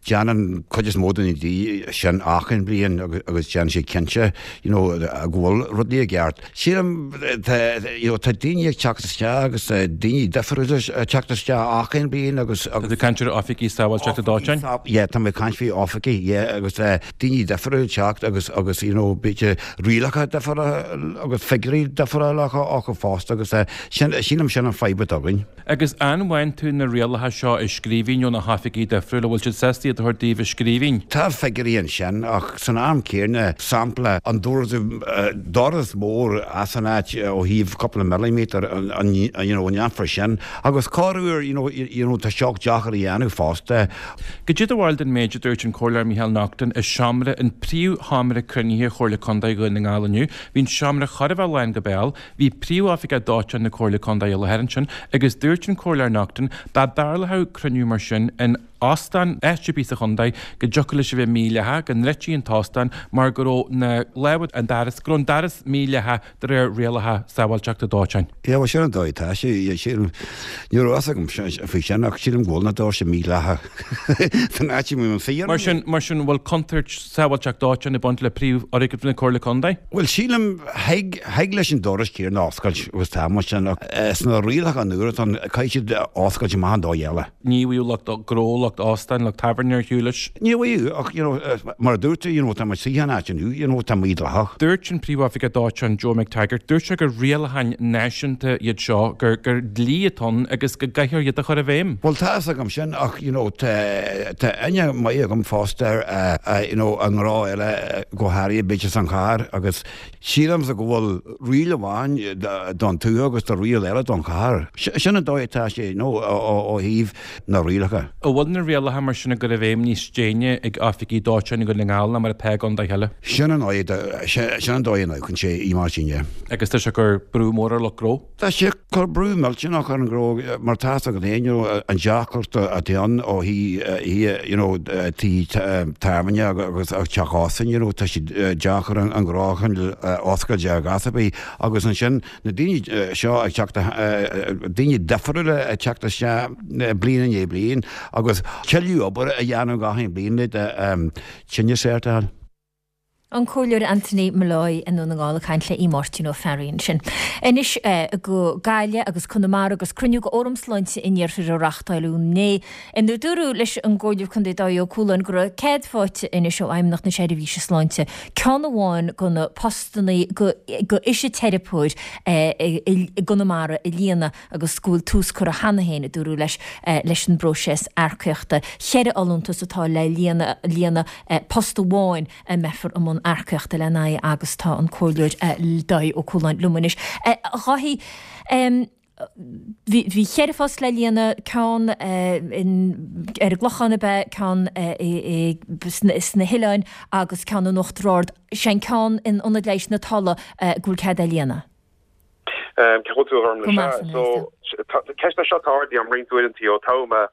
déanann cuid is mó de na daoine sin achan bliain agus agus déanann siad cinnte you know go bhfuil rudaí i gceart. Sílim tá you know tá daoine ag teacht isteach agus daoine difriúla ag teacht isteach achan bliain agus Tá tú ag caint ar oifigigh sábháilteachta dóiteáin? Yeah, tá mé ag caint faoi oifigigh, yeah, agus daoine difriúla ag teacht agus agus you know b'fhéidir rialacha difriúla agus figiúirí difriúla acu fosta agus sin sílim sin an fadhb atá againn. Agus an bhfaigheann tú na rialacha seo i scríbhinn ó na hoifigigh difriúla, bhfuil siad sásta iad a thabhairt daoibh i scríbhinn? Tá figiúirí ansin ach san am céanna, sampla, an doras doras mór as an áit ó thaobh cúpla milliméadar an you know an ndéanfar sin agus corruair you know you know tá seo deacair a dhéanamh fosta. Cad é do bharúil den méid a dúirt an Comhairleoir Micheál Naughton i seomra an príomhsheomra cruinnithe Chomhairle Contae Dhún na nGall inniu. Bhí an seomra chóir a bheith lán go béal, bhí príomhoifigeach dóiteáin na Comhairle Contae i láthair ansin agus dúirt an Comhairleoir Naughton dá dtarlódh cruinniú mar sin in óstán áit ar bith sa chontae go dtiocfadh leis a bheith mídhleathach, go ndruidtí an t-óstán mar go raibh na lámha an doras, go raibh an doras mídhleathach de réir rialacha sábháilteachta dóiteáin. Yeah, bhuel sin an dóigh atá sé, sílim, ní raibh fhios agam faoi sin ach sílim go bhfuil na doirse mídhleathach san áit a mbím féin. Mar sin, mar sin, bhfuil contúirt sábháilteacht dóiteáin ag baint le príomhfhoirgneamh na Comhairle Contae? Bhuel sílim, thig, thig leis an doras céanna oscailt agus tá mar sin ach sna rialacha nua atá ann caithfidh siad oscailt amach an dóigh eile. Ní bhfuil lucht gnó, lucht óstáin, lucht tábhairne ar shiúl leis. Ní bhfuil ach you know mar a dúirt tú you know tá muid istigh san áit inniu you know tá mídhleathach. Dúirt an príomhoifigeach dóiteáin Joe McTaggart, dúirt sé gur rialacháin náisiúnta iad seo, gur gur dlí atá ann agus go gcaithfear iad a chur i bhfeidhm. Bhuel tá fhios agam sin ach you know tá tá aithne maith agam fosta ar you know i ngnó eile go háirithe b'fhéidir san chathair agus sílimse go bhfuil riail amháin don tuath agus tá riail eile don chathair. Sin an dóigh atá sé you know ó thaobh na rialacha. An bhfuil na rialacha mar sin á gcur i bhfeidhm níos déine ag oifigigh dóiteáin i nDún na nGall ná mar atá i gcontaetha eile? Sin an dóigh sin an dóigh a n-amharcann sé í mar sin, yeah. Agus tá sé ag cur brú mór ar lucht gnó? Tá sé ag cur brú millteanach ar an ngnó mar tá fhios agat féin, you know, an deacracht atá ann ó thaobh you know tithe tábhairne agus teach óstáin, you know, tá sé deacair an gnó a choinneáil oscailte ar ghas ar bith agus ansin na daoine seo ag teacht daoine difriúla ag teacht isteach bliain i ndiaidh bliain agus tuilleadh obair a dhéanamh gach aon bliain le tine cert a fháil. An Comhairleoir Anthony Molloy i nDún na nGall ag caint le Máirtín Ó Fearraigh ansin. Anois go Gaillimh agus Conamara agus cruinniú de Fhóram Sláinte an Iarthair á reáchtáil inné inar dúradh leis an gComhairleoir Contae Dáithí Ó Cualáin go raibh cead faighte anois ó Fheidhmeannacht na Seirbhíse Sláinte ceann amháin de na postanna do fhisiteiripeoir i gConamara a líonadh agus go bhfuil tús curtha cheana féin, a dúradh leis, leis an bpróiseas earcaíochta. Ceithre fholúntas atá le líonadh, post amháin a mbeifear i mbun earcaíochta lena aghaidh agus tá an Comhairleoir Dáithí Ó Cualáin liom anois. A Dháithí, bhí ceithre phost le líonadh, ceann ar an gClochán ab ea, ceann sna hoileáin agus ceann in Uachtar Ard. Sé an ceann in Ionad Leighis na Tolla go bhfuil cead é a líonadh. Cén chaoi a bhfuil tú a Ghormfhlaith? Go maith, san So, ceist é seo atá ardaithe agam roinnt uaireanta ó toghadh mé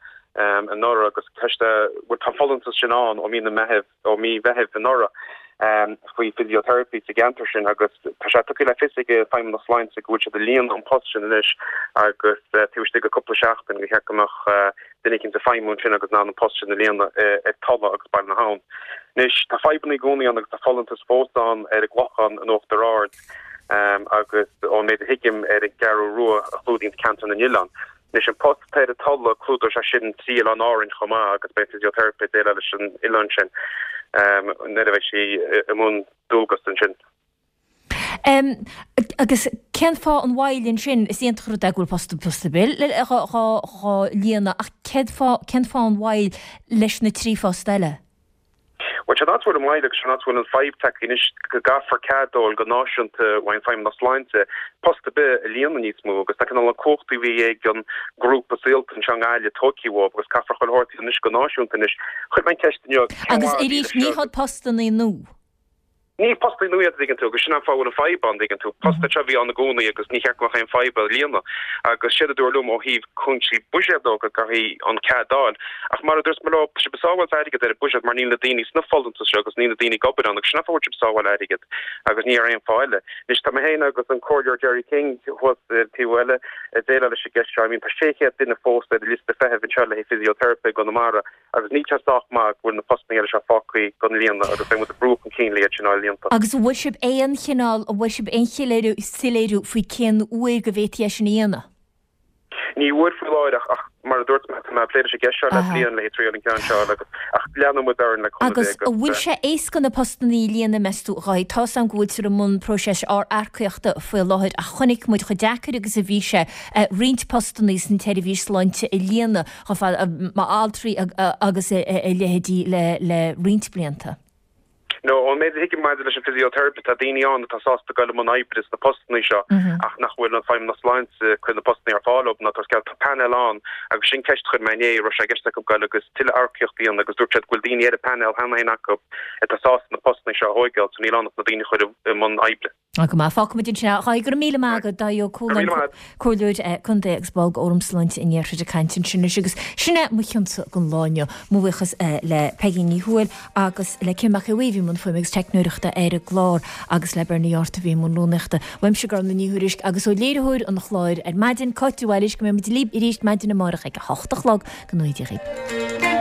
anuraidh agus ceist é, bhuel tá an folúntas sin ann ó mí na Meithimh, ó mí Mheithimh anuraidh. faoi physiotherapy sa gceantar sin agus tá sé tugtha le fios ag Feidhmeannas Sláinte go bhfuil siad ag líonadh an post sin anois agus taobh istigh de cúpla seachtain go cheart go mbeadh duine éicint ag feidhmiú ansin agus in ann an post sin a líonadh ar Tulla agus Baile na hAbhann. Anois tá fadhbanna i gcónaí ann agus tá folúntas fós ann ar an gClochán in Uachtar Ard agus ón méid a thuigim ar an gCeathrú Rua a chlúdaíonn ceantar na nOileán. Anois an post atá ar an Tulaigh, clúdóidh sé sin trí Oileán Árainn chomh maith agus beidh physiotherapy ag déileáil leis an oileán sin nuair a bheidh sí i mbun dualgas ansin. Agus cén fáth an mhoill ansin? Is iontach an rud é go bhfuil post post ar bith dhá líonadh ach cén fáth an mhoill leis na trí phost eile? Bhuel, sin áit a bhfuil an mhoill agus sin áit a bhfuil an fadhb tagtha anois go gcaithfear cead a fháil go náisiúnta ón Feidhmeannas Sláinte post ar bith a líonadh níos mó agus tá cineál na cumhachtaí a bhí ag an ngrúpa saolta anseo i nGaillimh tógtha uathu agus caithfear chuile shórt a dhéanamh anois go náisiúnta anois. Chuir mé an ceist inniu cén Agus fáth a bhí arís, leis ní seo hiad postannaí nua. Ní postannaí nua iad, a dtuigeann tú, agus sin an fáth a bhfuil an fadhb ann, a dtuigeann tú. Post é seo a bhí ann i gcónaí agus ní cheart go mbeadh aon fadhb a líonadh. Agus séard a dúradh liom ó thaobh cúinsí buiséad dó go gcaithfí an cead a fháil. Ach mar a dúirt mé leo, tá sibh ag sábháilt airgead ar an buiséad mar níl na daoine sna folúntais seo agus níl na daoine ag obair ann agus sin an fáth a bhfuil sibh ag sábháil airgead agus ní ar aon fáth eile. Anois tá mé féin agus an Comhairleoir Gerry King thuas ar an taobh eile ag déileáil leis an gceist seo. I mean tá sé chéad duine fós ar an liosta feithimh anseo le haghaidh physiotherapy i gConamara. Agus níl sé sách maith go bhfuil na postanna eile seo fágtha gan líonadh agus beidh muid ag brú chun cinn le iad sin a fháil líonta. Agus an bhfuair sibh aon chineál, an bhfuair sibh aon soiléiriú faoi cén uair go bhféadfaí é sin a dhéanamh? Ní bhfuair faoi láthair ach ach mar a dúirt mé tá mé ag plé leis an gceist seo le bliain le triail an ceann seo agus ach leanfaidh muid orainn le cúnamh Dé Agus agus. an bhfuil sé éasca na postanna a líonadh meas tú? A Dháithí, tá's agam go bhfuiltear i mbun próiseas earcaíochta faoi láthair ach chonaic muid chomh deacair agus a bhí sé roinnt postanna san tseirbhís sláinte a líonadh chomh fada mar altraí agus a leithéidí le roinnt blianta. No, ón méid a thuigim maidir leis an physiotherapy, tá daoine ann atá sásta dul i mbun oibre sna postanna seo ach nach bhfuil an Feidhmeannas Sláinte ag cur na postanna ar fáil dóibh ná tabhairt cead. Tá painéal ann agus sin ceist a chuir mé inné, raibh sé i gceist acu dul agus tuilleadh earcaíocht a dhéanamh agus dúirt siad go bhfuil daoine ar an bpainéal cheana féin acu atá sásta na postanna seo a thóigeáil so níl ann ach na daoine a chur i mbun oibre. Go maith. Fágfaimid ansin é. A Dháithí, go raibh míle maith agat, Dáithí Ó Cualáin, Comhairleoir Contae agus ball d'Fhóram Sláinte an Iarthair ag caint ansin anois. Agus sin é mo chionsa don lá inniu. Mo bhuíochas le Peigí Ní Thuathail agus le Kim Mac Aodha a bhí i mbun fuaime agus teicneoireachta ar an gclár agus le Bernie Yortt a bhí i mbun rúnaíochta. Uaimse Gormfhlaith Ní Thuairisg agus ó léiritheoir an chláir ar maidin, Cáit de Bhailís, go mbeidh muid libh arís maidin amárach ag a hocht a chlog. Go ngnóthaí Dia dhaoibh.